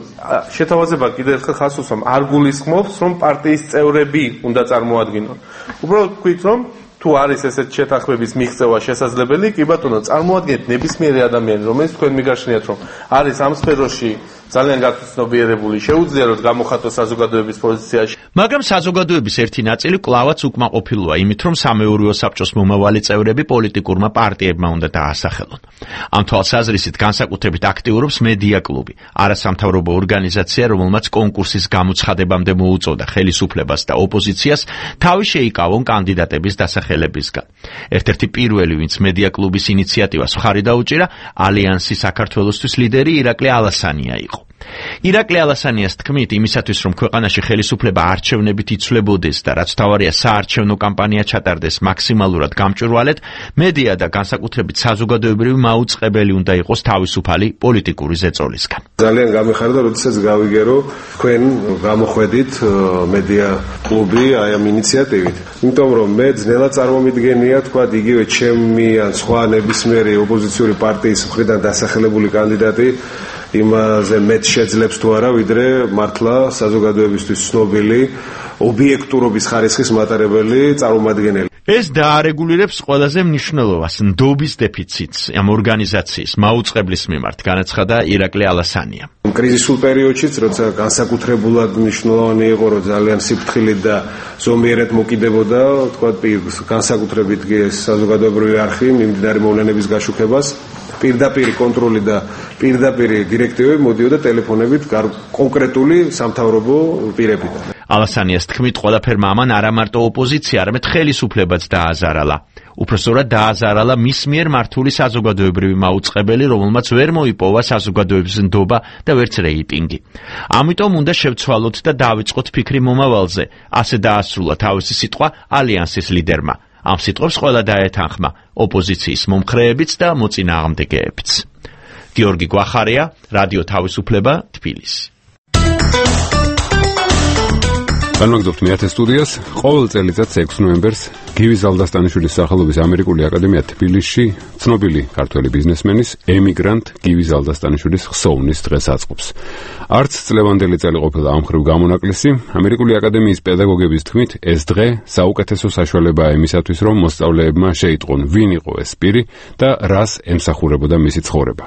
შეთავაზება კიდევ ერთხელ ხაზს უსვამ, არ გულისხმობს, რომ პარტიის წევრები უნდა წარმოადგინონ. უბრალოდ ვქვით, რომ თუ არის ესეთ შეთანხმების მიღწევა შესაძლებელი, კი ბატონო, წარმოადგენთ ნებისმიერი ადამიანი, რომელიც თქვენ მიგაშნიათ, რომ არის ამ სფეროში ძალიან გაცნობიერებული, შეუძლია რომ გამოხატოს საზოგადოების პოზიციაში. მაგრამ საზოგადოების ერთი ნაწილი კვლავაც უკმაყოფილოა იმით, რომ სამეურვეო საბჭოს მომავალი წევრები პოლიტიკურმა პარტიებმა უნდა დაასახელონ. ამ თვალსაზრისით განსაკუთრებით აქტიურობს მედია კლუბი, არასამთავრობო ორგანიზაცია, რომელმაც კონკურსის გამოცხადებამდე მოუწოდა ხელისუფლებას და ოპოზიციას თავი შეიკავონ კანდიდატების დასახელებისგან. ერთ-ერთი პირველი, ვინც მედია კლუბის ინიციატივას მხარი დაუჭირა, ალიანსი საქართველოსთვის ლიდერი ირაკლი ალასანია იყო. ირაკლი ალასანიას თქმით, იმისათვის რომ ქვეყანაში ხელისუფლება არჩევნებით იცვლებოდეს და რაც თავარია საარჩევნო კამპანია ჩატარდეს მაქსიმალურად გამჭვირვალედ, მედია და განსაკუთრებით საზოგადოებრივი მაუწყებელი უნდა იყოს თავისუფალი პოლიტიკური ზეწოლისგან. ძალიან გამიხარდა, როდესაც გავიგე, რომ თქვენ გამოხვედით მედია კლუბი აი ამ ინიციატივით. იმიტომ რომ მე ძნელად წარმომიდგენია, თქვა იგივე ჩემი ან სხვა ნებისმიერი ოპოზიციური პარტიის მხრიდან დასახელებული კანდიდატი იმაზე მეტ შეძლებს თუ არა, ვიდრე მართლა საზოგადოებისთვის ცნობილი ობიექტურობის ხარისხის მატარებელი წარმომადგენელი. ეს დაარეგულირებს ყველაზე მნიშვნელოვანს ნდობის დეფიციტს ამ ორგანიზაციის მაუწყებლის მიმართ, განაცხადა ირაკლი ალასანია. კრიზისულ პერიოდშიც, როცა განსაკუთრებულად მნიშვნელოვანი იყო, რომ ძალიან სიფრთხილით და ზომიერად მოკიდებოდა, თქვა განსაკუთრებით საზოგადოებრივი არხი მიმდინარე მოვლენების გაშუქებას, პირდაპირი კონტროლი და პირდაპირი დირექტივები მოდიოდა ტელეფონებით კონკრეტული სამთავრობო პირებიდან. ალასანიას თქმით, ყველაფერმა ამან არა მარტო ოპოზიცია, არამედ ხელისუფლებაც დააზარალა. უпроსტորად დააზარალა მის მიერ მართული საზოგადოებრივი მაუწყებელი, რომელმაც ვერ მოიპოვა საზოგადოების ნდობა და ვერც რეიტინგი. ამიტომ უნდა შევცვალოთ და დავიწყოთ ფიქრი მომავალზე, ასე დაასრულა თავისი სიტყვა ალიანსის ლიდერმა. ამ სიტყვებს ყველა დაეთანხმა, ოპოზიციის მომხრეებიც და მოწინააღმდეგეებიც. გიორგი გვახარია, რადიო თავისუფლება, თბილისი. განმაგდობთ მეათე სტუდიას. ყოველ წელიწადს ექვსი ნოემბერს გივი ზალდასტანიშვილის სახელობის ამერიკული აკადემია თბილისში ცნობილი ქართველი ბიზნესმენის ემიგრანტ გივი ზალდასტანიშვილის ხსოვნის დღეს აწყობს. არც წლევანდელი წელი ყოფილა ამ ხრივ გამონაკლისი, ამერიკული აკადემიის პედაგოგების თქმით, ეს დღე საუკეთესო საშუალებაა იმისათვის, რომ მოსწავლეებმა შეიტყონ, ვინ იყო ეს პირი და რას ემსახურებოდა მისი ცხოვრება.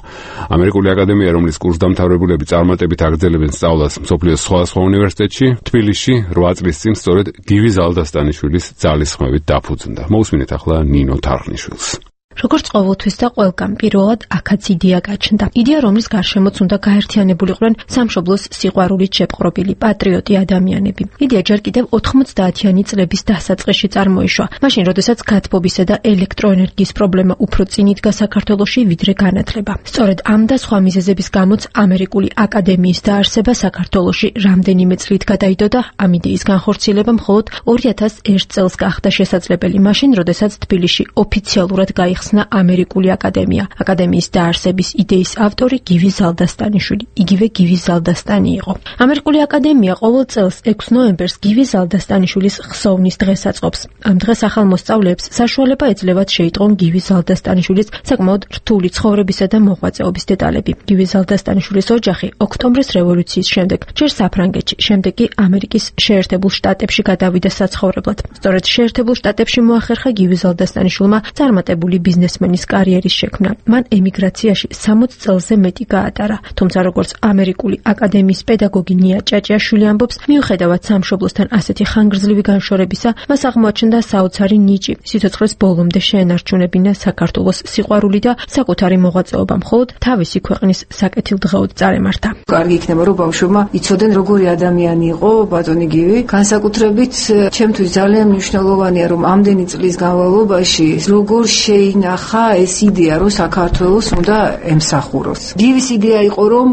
ამერიკული აკადემია, რომლის კურსდამთავრებულები წარმატებით აგრძელებენ სწავლას მსოფლიოს სხვადასხვა უნივერსიტეტში, თბილისში რვა წლის წინ სწორედ გივი ზალდასტანიშვილის ძალისხმევით დაფუძნდა. მოусმინეთ ახლა ნინო თარხნიშვილს. როგორც ყოველთვის და ყველგან პირველად აქაც იდეა გაჩნდა. იდეა, რომლის გარშემოც უნდა გაერთიანებულიყვნენ სამშობლოს სიყვარულით შეპყრობილი პატრიოტი ადამიანები. იდეა ჯერ კიდევ ოთხმოცდაათიანი წლების დასაწყისში წარმოიშვა, მაშინ, როდესაც გათბობისა და ელექტროენერგიის პრობლემა უფრო წინ იდგა საქართველოში, ვიდრე განათლება. სწორედ ამ და სხვა მიზეზების გამოც ამერიკული აკადემიის დაარსება საქართველოში რამდენიმე წლით გადაიდო და ამ იდეის განხორციელება მხოლოდ ორი ათას ერთ წელს გახდა შესაძლებელი, მაშინ, როდესაც თბილისში ოფიციალურად გაიხსნა ამერიკული აკადემია. აკადემიის დაარსების იდეის ავტორი გივი ზალდასტანიშვილი, იგივე გივი ზალდასტანი იყო. ამერიკული აკადემია ყოველ წელს ექვსი ნოემბერს გივი ზალდასტანიშვილის ხსოვნის დღეს აწყობს. ამ დღეს ახალ მოსწავლეებს საშუალება ეძლევათ შეიტყონ გივი ზალდასტანიშვილის საკმაოდ რთული ცხოვრებისა და მოღვაწეობის დეტალები. გივი ზალდასტანიშვილის ოჯახი ოქტომბრის რევოლუციის შემდეგ ჯერ საფრანგეთში, შემდეგ კი ამერიკის შეერთებულ შტატებში გადავიდა საცხოვრებლად. სწორედ შეერთებულ შტატებში მოახერხა გივი ზალდასტანიშვილმა წარმატებული ბიზნესმენის კარიერის შექმნა. მან ემიგრაციაში სამოცი წელზე მეტი გაატარა, თუმცა როგორც ამერიკული აკადემიის პედაგოგი ნია ჭაჭიაშვილი ამბობს, მიუხედავად სამშობლოსთან ასეთი ხანგრძლივი განშორებისა, მას აღმოაჩნდა საოცარი ნიჭი, სიცოცხლის ბოლომდე შეენარჩუნებინა საქართველოს სიყვარული და საკუთარი მოღვაწეობა მხოლოდ თავისი ქვეყნის საკეთილდღეოდ წარემართა. კარგი იქნება, რომ ბავშვებმა იცოდნენ, როგორი ადამიანი იყო ბატონი გივი. განსაკუთრებით ჩემთვის ძალიან მნიშვნელოვანია, რომ ამდენი წლის განმავლობაში როგორ შეი ნახა ეს იდეა, რომ საქართველოს უნდა ემსახუროს. გივის იდეა იყო, რომ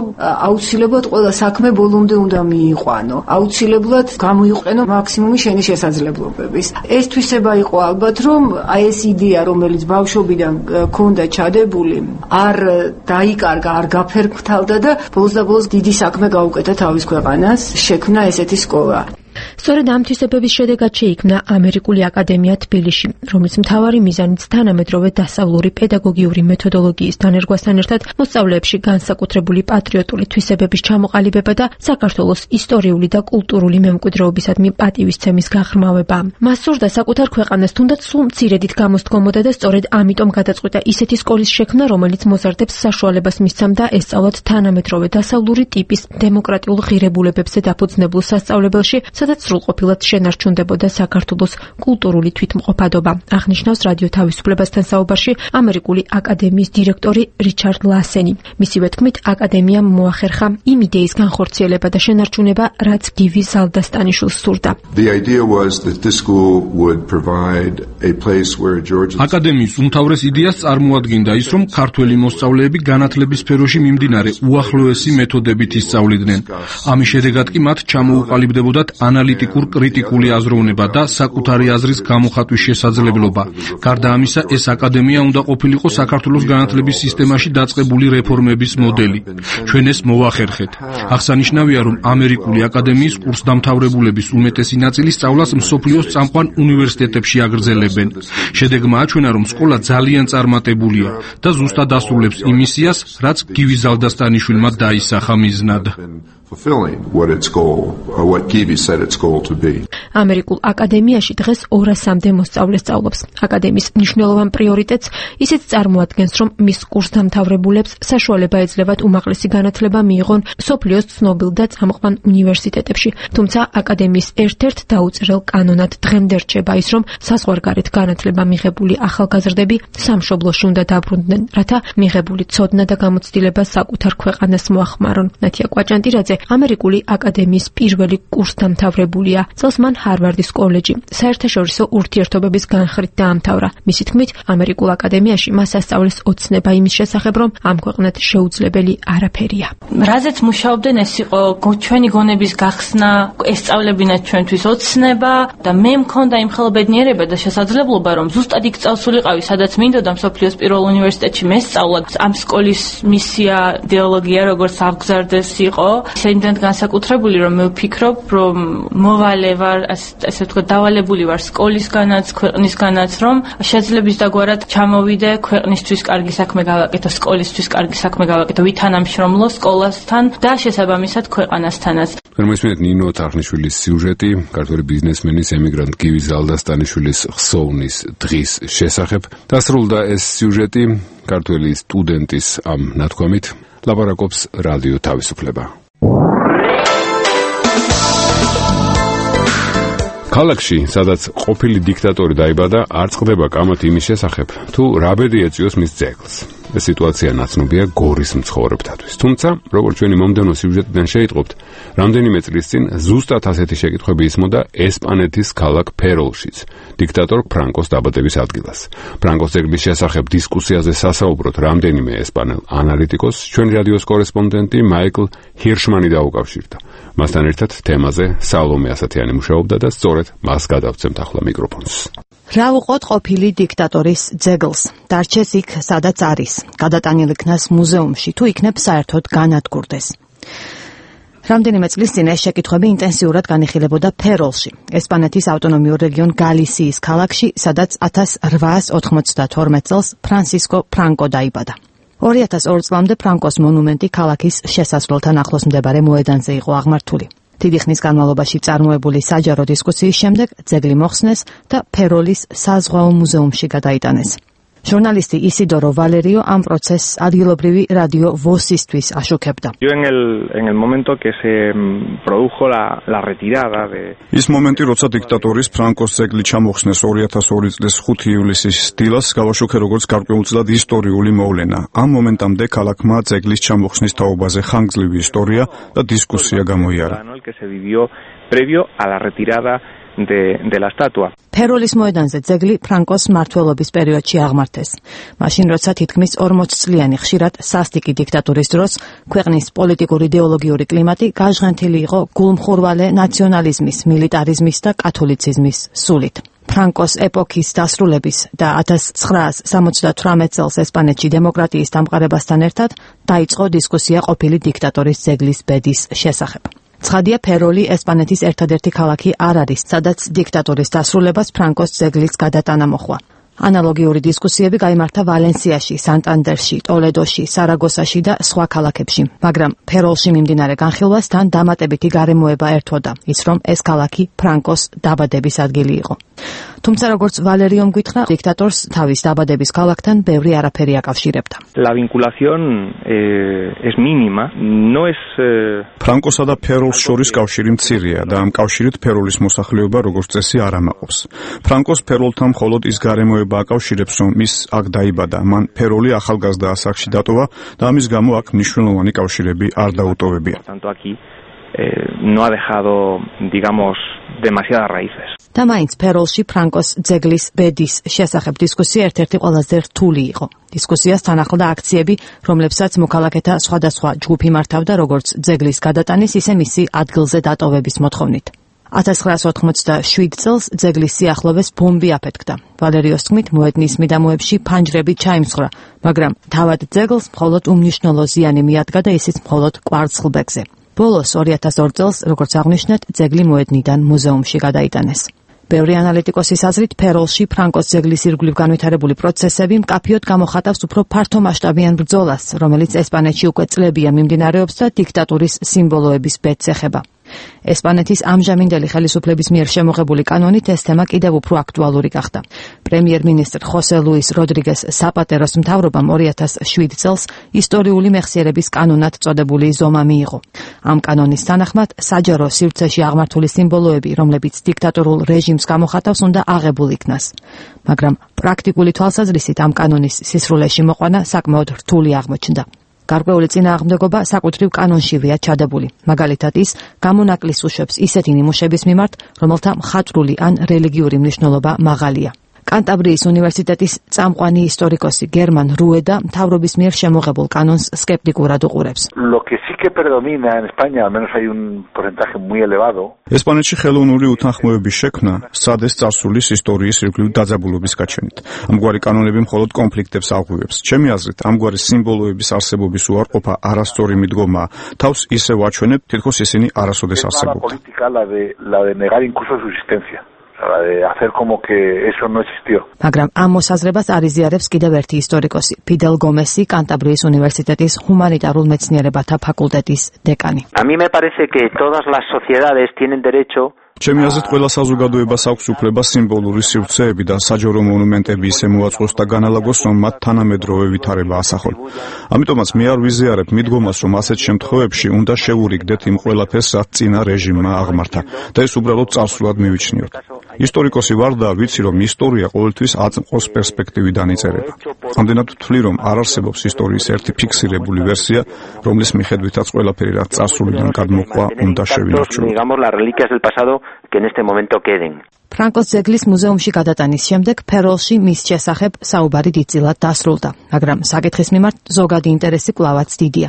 აუცილებლად ყველა საქმე ბოლომდე უნდა მიიყვანო. აუცილებლად გამოიყვენო მაქსიმუმი შენი შესაძლებლობების. ეს თვისება იყო ალბათ, რომ აი ეს იდეა, რომელიც ბავშვობიდან ქონდა ჩადებული, არ დაიკარგა, არ გაფერმთავდა და ბოლოს და ბოლოს დიდი საქმე გაუკეთა თავის ქვეყანას, შექმნა ესეთი სკოლა. სწორედ ამ თვისებების შედეგად შეიქმნა ამერიკული აკადემია თბილისში, რომლის მთავარი მიზანიც თანამედროვე დასავლური პედაგოგიური მეთოდოლოგიის დანერგვასთან ერთად მოსწავლეებში განსაკუთრებული პატრიოტული თვისებების ჩამოყალიბება და საქართველოს ისტორიული და კულტურული მემკვიდრეობისადმი პატივისცემის გაღრმავება. მას სურდა საკუთარ ქვეყანას თუნდაც სულ მცირედით გამოსდგომოდა და სწორედ ამიტომ გადაწყვიტა ისეთი სკოლის შექმნა, რომელიც მოზარდებს საშუალებას მისცემდა ესწავლათ თანამედროვე დასავლური ტიპის დემოკრატიულ ღირებულებებზე დაფუძნებულ სასწავლებელში, სადაც სრულყოფილად შენარჩუნდებოდა საქართველოს კულტურული თვითმყოფადობა. აღნიშნავს რადიო თავისუფლებასთან საუბარში ამერიკული აკადემიის დირექტორი რიჩარდ ლასენი. მისივე თქმით, აკადემიამ მოახერხა იმ იდეის განხორციელება და შენარჩუნება, რაც გივი ზალდასტანიშვილს სურდა. აკადემიის უმთავრეს იდეას წარმოადგენდა ის, რომ ქართველი მოსწავლეები განათლების სფეროში მიმდინარე უახლოესი მეთოდებით ისწავლიდნენ. ამის შედეგად კი მათ ჩამოუყალიბდებოდათ ანალიტიკურ კრიტიკული აზროვნება და საკუთარი აზრის გამოხატვის შესაძლებლობა. გარდა ამისა, ეს აკადემია უნდა ყოფილიყო საქართველოს განათლების სისტემაში დაწყებული რეფორმების მოდელი. ჩვენ ეს მოვახერხეთ. აღსანიშნავია, რომ ამერიკული აკადემიის კურსდამთავრებულების უმეტესი ნაწილი სწავლას მსოფლიოს წამყვან უნივერსიტეტებში აგრძელებენ. შედეგმა აჩვენა, რომ სკოლა ძალიან წარმატებულია და ზუსტად ასრულებს იმ მისიას, რაც გივი ზალდასტანიშვილმა დაისახა მიზნად. fulfilling what its goal or what Givi said its goal to be. ამერიკულ აკადემიაში დღეს ორასამდე მოსწავლე სწავლობს. აკადემიის მნიშვნელოვან პრიორიტეტს ისიც წარმოადგენს, რომ მის კურსდამთავრებულებს საშუალება ეძლევათ უმაღლესი განათლება მიიღონ მსოფლიოს ცნობილ და წამყვან უნივერსიტეტებში. თუმცა აკადემიის ერთ-ერთ დაუწერელ კანონად დღემდე რჩება ის, რომ საზღვარგარეთ განათლება მიღებული ახალგაზრდები სამშობლოში უნდა დაბრუნდნენ, რათა მიღებული ცოდნა და გამოცდილება საკუთარ ქვეყანას მოახმარონ. ნათია კვაჭანტირაძე ამერიკული აკადემიის პირველი კურსდამთავრებულია. წელს მან ჰარვარდის კოლეჯი საერთაშორისო ურთიერთობების განხრით დაამთავრა. მისი თქმით, ამერიკულ აკადემიაში მას ასწავლეს ოცნება იმის შესახებ, რომ ამ ქვეყნად შეუძლებელი არაფერია. რაზეც მუშაობდნენ, ეს იყო ჩვენი გონების გახსნა, ესწავლებინათ ჩვენთვის ოცნება და მე მქონდა იმ ხელბედნიერება და შესაძლებლობა, რომ ზუსტად იქ წავსულიყავი, სადაც მინდოდა მსოფლიოს პირველ უნივერსიტეტში მესწავლა. ამ სკოლის მისია, იდეოლოგია როგორც აღგზარდეს იყო, იმდენად განსაკუთრებული, რომ მე ვფიქრობ, რომ მოვალე ვარ, ასე ვთქვათ, დავალებული ვარ სკოლისგანაც, ქვეყნისგანაც, რომ შეძლებს დაგვარად ჩამოვიდე, ქვეყნისთვის კარგი საქმე გავაკეთო, სკოლისთვის კარგი საქმე გავაკეთო, ვითანამშრომლო სკოლასთან და შესაბამისად ქვეყანასთანაც. მოისმენთ ნინო თარხნიშვილის სიუჟეტი, ქართველი ბიზნესმენის ემიგრანტ გივი ზალდასტანიშვილის ხსოვნის დღის შესახებ. დასრულდა ეს სიუჟეტი ქართველი სტუდენტის ამ ნათქვამით. ლაპარაკობს რადიო თავისუფლება. ქალაქში, სადაც ყოფილი დიქტატორი დაიბადა, არ წყდება კამათი იმის შესახებ, თუ რა ბედი ეწიოს მის ძეგლს. ეს სიტუაცია ნაცნობია გორის მცხოვრებთათვის. თუმცა, როგორც ჩვენი მომდევნო სიუჟეტიდან შეიტყობთ, რამდენიმე წლის წინ ზუსტად ასეთი შეკითხვები ისმოდა ესპანეთის ქალაქ ფეროლშიც, დიქტატორ ფრანკოს დაბადების ადგილას. ფრანკოს ძეგლის შესახებ დისკუსიაზე სასაუბროთ რამდენიმე ესპანელ ანალიტიკოსს ჩვენი რადიოს კორესპონდენტი მაიკლ ჰირშმანი დაუკავშირდა. მასთან ერთად თემაზე სალომე ასათიანი მუშაობდა და სწორედ მას გადავცემთ ახლა მიკროფონს. რა უყოთ ყოფილი დიქტატორის ძეგლს? დარჩეს იქ, სადაც არის. გადატანილ იქნას მუზეუმში, თუ იქნებ საერთოდ განადგურდეს. რამდენიმე წლის წინ ეს შეკითხვები ინტენსიურად განიხილებოდა ფეროლში, ესპანეთის ავტონომიურ რეგიონ გალისიის ქალაქში, სადაც ათას რვაას ოთხმოცდათორმეტ წელს ფრანსისკო ფრანკო დაიბადა. ორი ათას ორ წლამდე ფრანკოს მონუმენტი ქალაქის შესასვლელთან ახლოს მდებარე მოედანზე იყო აღმართული. დიდი ხნის განმავლობაში წარმოებული საჯარო დისკუსიის შემდეგ ძეგლი მოხსნეს და ფეროლის საზღვაო მუზეუმში გადაიტანეს. ჟურნალისტი ისიდორო ვალერიო ამ პროცესს ადგილობრივი რადიო ვოსისთვის აშუქებდა. ის მომენტი, როცა დიქტატორის ფრანკოს ძეგლი ჩამოხსნეს ორი ათას ორი წლის ხუთი ივლისის დილას, გავაშუქე როგორც გარკვეულწილად ისტორიული მოვლენა. ამ მომენტამდე ქალაქმა ძეგლის ჩამოხსნის თაობაზე ხანგრძლივი ისტორია და დისკუსია გამოიარა. de, de la estatua. ფეროლის მოედანზე ძეგლი ფრანკოს მმართველობის პერიოდში აღმართეს. მაშინ, როცა თითქმის ორმოც წლიანი ხშირად სასტიკი დიქტატურის დროს ქვეყნის პოლიტიკური იდეოლოგიური კლიმატი გაჟღენთილი იყო გულმხურვალე ნაციონალიზმის, მილიტარიზმის და კათოლიციზმის სულით. ფრანკოს ეპოქის დასრულების და ათას ცხრაას სამოცდათვრამეტ წელს ესპანეთში დემოკრატიის დამყარებასთან ერთად დაიწყო დისკუსია ყოფილი დიქტატორის ძეგლის ბედის შესახებ. ცხადია, ფეროლი ესპანეთის ერთადერთი ქალაქი არ არის, სადაც დიქტატურის დასრულებას ფრანკოს ძეგლის გადატანა მოხდა. ანალოგიური დისკუსიები გაიმართა ვალენსიაში, სანტანდერში, ტოლედოში, სარაგოსაში და სხვა ქალაქებში, მაგრამ ფეროლში მიმდინარე განხილვას თან დამატებითი გარემოება ერთვოდა, ის რომ ეს ქალაქი ფრანკოს დაბადების ადგილი იყო. თუმცა როგორც ვალერიომ გითხრა, დიქტატორს თავის დაბადების ქალაქთან ბევრი არაფერი აკავშირებდა. La vinculación eh, es mínima, no es eh... ფრანკოსა და ფეროლს შორის კავშირი მცირეა და ამ კავშირით ფეროლის მოსახლეობა როგორც წესი არ ამაყობს. ფრანკოს ფეროლთან მხოლოდ ის გარემოება აკავშირებს, რომ ის აქ დაიბადა, მან ფეროლი ახალგაზრდა ასაკში დატოვა და ამის გამო აქ მნიშვნელოვანი კავშირები არ დაუტოვებია. no ha dejado, digamos, demasiadas raíces. და მაინც ფეროლში ფრანკოს ძეგლის ბედის შესახებ დისკუსია ერთ-ერთი ყველაზე რთული იყო. დისკუსიას თან ახლდა აქციები, რომლებსაც მოქალაქეთა სხვადასხვა ჯგუფი მართავდა როგორც ძეგლის გადატანის, ისე მისი ადგილზე დატოვების მოთხოვნით. ათას ცხრაას ოთხმოცდაშვიდ წელს ძეგლის სიახლოვეს ბომბი აფეთქდა. ვალერიოს თქმით, მოედნის მიდამოებში ფანჯრები ჩაიმსხვრა, მაგრამ თავად ძეგლს მხოლოდ უმნიშვნელო ზიანი მიადგა და ისიც მხოლოდ კვარცხლბეკზე. ბოლოს ორი ათას ორ წელს, როგორც აღნიშნეთ, ძეგლი მოედნიდან მუზეუმში გადაიტანეს. ბევრი ანალიტიკოსის აზრით, ფეროლში ფრანკოს ძეგლის ირგვლივ განვითარებული პროცესები მკაფიოდ გამოხატავს უფრო ფართომასშტაბიან ბრძოლას, რომელიც ესპანეთში უკვე წლებია მიმდინარეობს და დიქტატურის სიმბოლოების ბედს ეხება. ესპანეთის ამჟამინდელი ხელისუფლების მიერ შემოღებული კანონით ეს თემა კიდევ უფრო აქტუალური გახდა. პრემიერ-მინისტრ ხოსე ლუის როდრიგეს საპატეროს მთავრობამ ორი ათას შვიდ წელს ისტორიული მეხსიერების კანონად წოდებული ზომა მიიღო. ამ კანონის თანახმად საჯარო სივრცეში აღმართული სიმბოლოები, რომლებიც დიქტატორულ რეჟიმს გამოხატავს, უნდა აღებულ იქნას. მაგრამ პრაქტიკული თვალსაზრისით ამ კანონის სისრულეში მოყვანა საკმაოდ რთული აღმოჩნდა. გარკვეული წინააღმდეგობა საკუთრივ კანონშივეა ჩადებული. მაგალითად ის გამონაკლის უშვებს ისეთი ნიმუშების მიმართ, რომელთა მხატვრული ან რელიგიური მნიშვნელობა მაღალია. კანტაბრიის უნივერსიტეტის წამყვანი ისტორიკოსი გერმან რუედა მთავრობის მიერ შემოღებულ კანონს სკეპტიკურად უყურებს. Lo que sí que predomina en España, al menos hay un porcentaje muy elevado. ესპანეთში ხელოვნური უთანხმოების შექმნა სადეს წარსულის ისტორიის ირგვლივ დაძაბულობის გაჩენით. ამგვარი კანონები მხოლოდ კონფლიქტებს აღვივებს. ჩემი აზრით, ამგვარი სიმბოლოების არსებობის უარყოფა არასწორი მიდგომაა. თავს ისე ვაჩვენებ, თითქოს ისინი არასოდეს არსებობდნენ. La de la de negar incluso su existencia. de hacer como que eso no existió. მაგრამ ამ მოსაზრებას არიზიარებს კიდევ ერთი ისტორიკოსი, ფიდელ გომესი, კანტაბრიის უნივერსიტეტის ჰუმანიტარულ მეცნიერებათა ფაკულტეტის დეკანი. A mí me parece que todas las sociedades tienen derecho ჩემი აზრით, ყველა საზოგადოებას აქვს უფლება სიმბოლური სივრცეები და საჯარო მონუმენტები ისე მოაწყოს და განალაგოს, რომ მათ თანამედროვე ვითარება ასახონ. ამიტომაც მე არ ვიზიარებ მიდგომას, რომ ასეთ შემთხვევებში უნდა შევურიგდეთ იმ ყველაფერს, რაც წინა რეჟიმმა აღმართა და ეს უბრალოდ წარსულად მივიჩნიოთ. ისტორიკოსი ვარ და ვიცი, რომ ისტორია ყოველთვის აწმყოს პერსპექტივიდან იწერება. ამდენად ვთვლი, რომ არ არსებობს ისტორიის ერთი ფიქსირებული ვერსია, რომლის მიხედვითაც ყველაფერი, რაც წარსულიდან გადმოყვა, უნდა შევინარჩუნოთ. que en este momento queden. ფრანკოს ძეგლის მუზეუმში გადატანის შემდეგ ფეროლში მის შესახებ საუბარი დიდწილად დასრულდა, მაგრამ საკითხის მიმართ ზოგადი ინტერესი კვლავაც დიდია.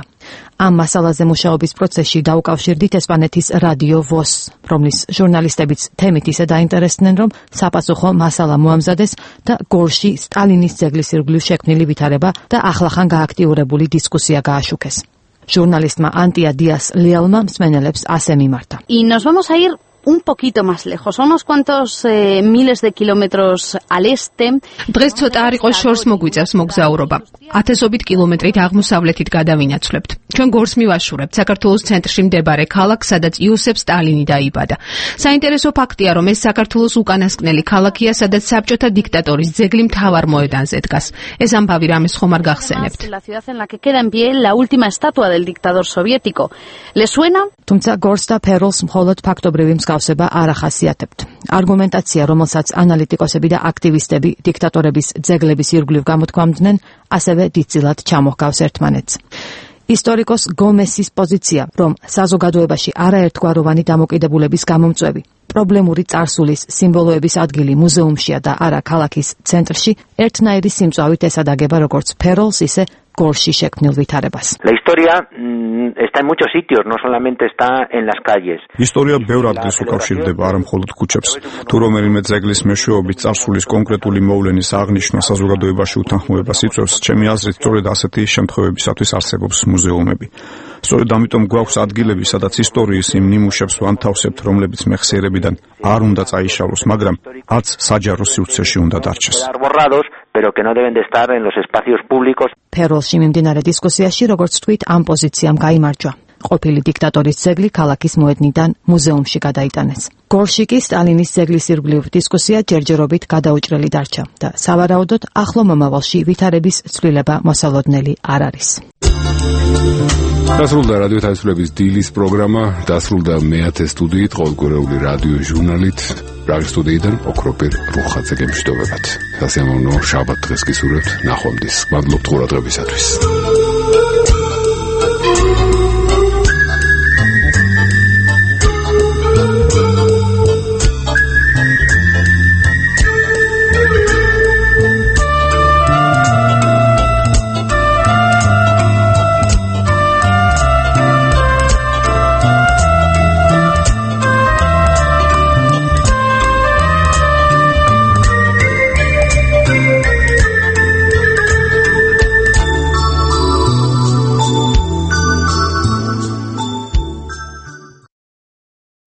ამ მასალაზე მუშაობის პროცესში დაუკავშირდით ესპანეთის რადიო ვოს, რომლის ჟურნალისტებიც თემით ისე დაინტერესდნენ, რომ საპასუხო მასალა მოამზადეს და გორში სტალინის ძეგლის ირგვლივ შექმნილი ვითარება და ახლახან გააქტიურებული დისკუსია გააშუქეს. ჟურნალისტმა ანტია დიას ლეალმა მსმენელებს ასე მიმართა. Y nos vamos a ir un poquito más lejos, unos cuantos eh, miles de kilómetros al este. დღეს ცოტა არ იყოს შორს მოგვიწევს მოგზაურობა. ათასობით კილომეტრით აღმოსავლეთით გადავინაცვლებთ. ჩვენ გორს მივაშურებთ საქართველოს ცენტრში მდებარე ქალაქ, სადაც იოსებ სტალინი დაიბადა. საინტერესო ფაქტია, რომ ეს საქართველოს უკანასკნელი ქალაქია, სადაც საბჭოთა დიქტატორის ძეგლი მთავარ მოედანზე დგას. ეს ამბავი რამეს ხომ არ გახსენებთ? La ciudad en la que queda en pie la última estatua del dictador soviético. ¿Le suena? თუმცა გორს და ფეროლს მხოლოდ ფაქტობრივი მსგავსება არ ახასიათებთ. არგუმენტაცია, რომელსაც ანალიტიკოსები და აქტივისტები დიქტატორების ძეგლების ირგვლივ გამოთქვამდნენ, ასევე დიდწილად ჩამოჰგავს ერთმანეთს. ისტორიკოს გომესის პოზიცია, რომ საზოგადოებაში არაერთგვაროვანი დამოკიდებულების გამომწვევი პრობლემური წარსულის სიმბოლოების ადგილი მუზეუმშია და არა ქალაქის centrში, ერთნაირი სიმწვავით ესადაგება როგორც ფეროლს, ისე გორში შექმნილ ვითარებას. La historia mmm, está en muchos sitios, no solamente está en las calles. ისტორია ბევრ ადგილს უკავშირდება, არა მხოლოდ ქუჩებს. თუ რომელიმე ძეგლის მეშვეობით წარსულის კონკრეტული მოვლენის აღნიშვნა საზოგადოებაში უთანხმოებას იწვევს, ჩემი აზრით, სწორედ ასეთი შემთხვევებისათვის არსებობს მუზეუმები. სწორედ ამიტომ გვაქვს ადგილები, სადაც ისტორიის იმ ნიმუშებს ვანთავსებთ, რომლებიც მეხსიერებიდან არ უნდა წაიშალოს, მაგრამ არც საჯარო სივრცეში უნდა დარჩეს. Pero que no deben de estar en los espacios públicos. ფეროლში მიმდინარე დისკუსიაში, როგორც თქვით, ამ პოზიციამ გაიმარჯვა. ყოფილი დიქტატორის ძეგლი ქალაქის მოედნიდან მუზეუმში გადაიტანეს. გორში კი სტალინის ძეგლის ირგვლივ დისკუსია ჯერჯერობით გადაუჭრელი დარჩა და სავარაუდოდ ახლო მომავალში ვითარების ცვლილება მოსალოდნელი არ არის. დასრულდა რადიო თავისუფლების დილის პროგრამა, დასრულდა მეათე სტუდიით, ყოველკვირეული რადიო ჟურნალით. პრაღის სტუდიიდან ოქროპირ რუხაძე გემშვიდობებათ. სასიამოვნო შაბათ დღეს გისურვებთ, ნახვამდის. მადლობთ ყურადღებისათვის.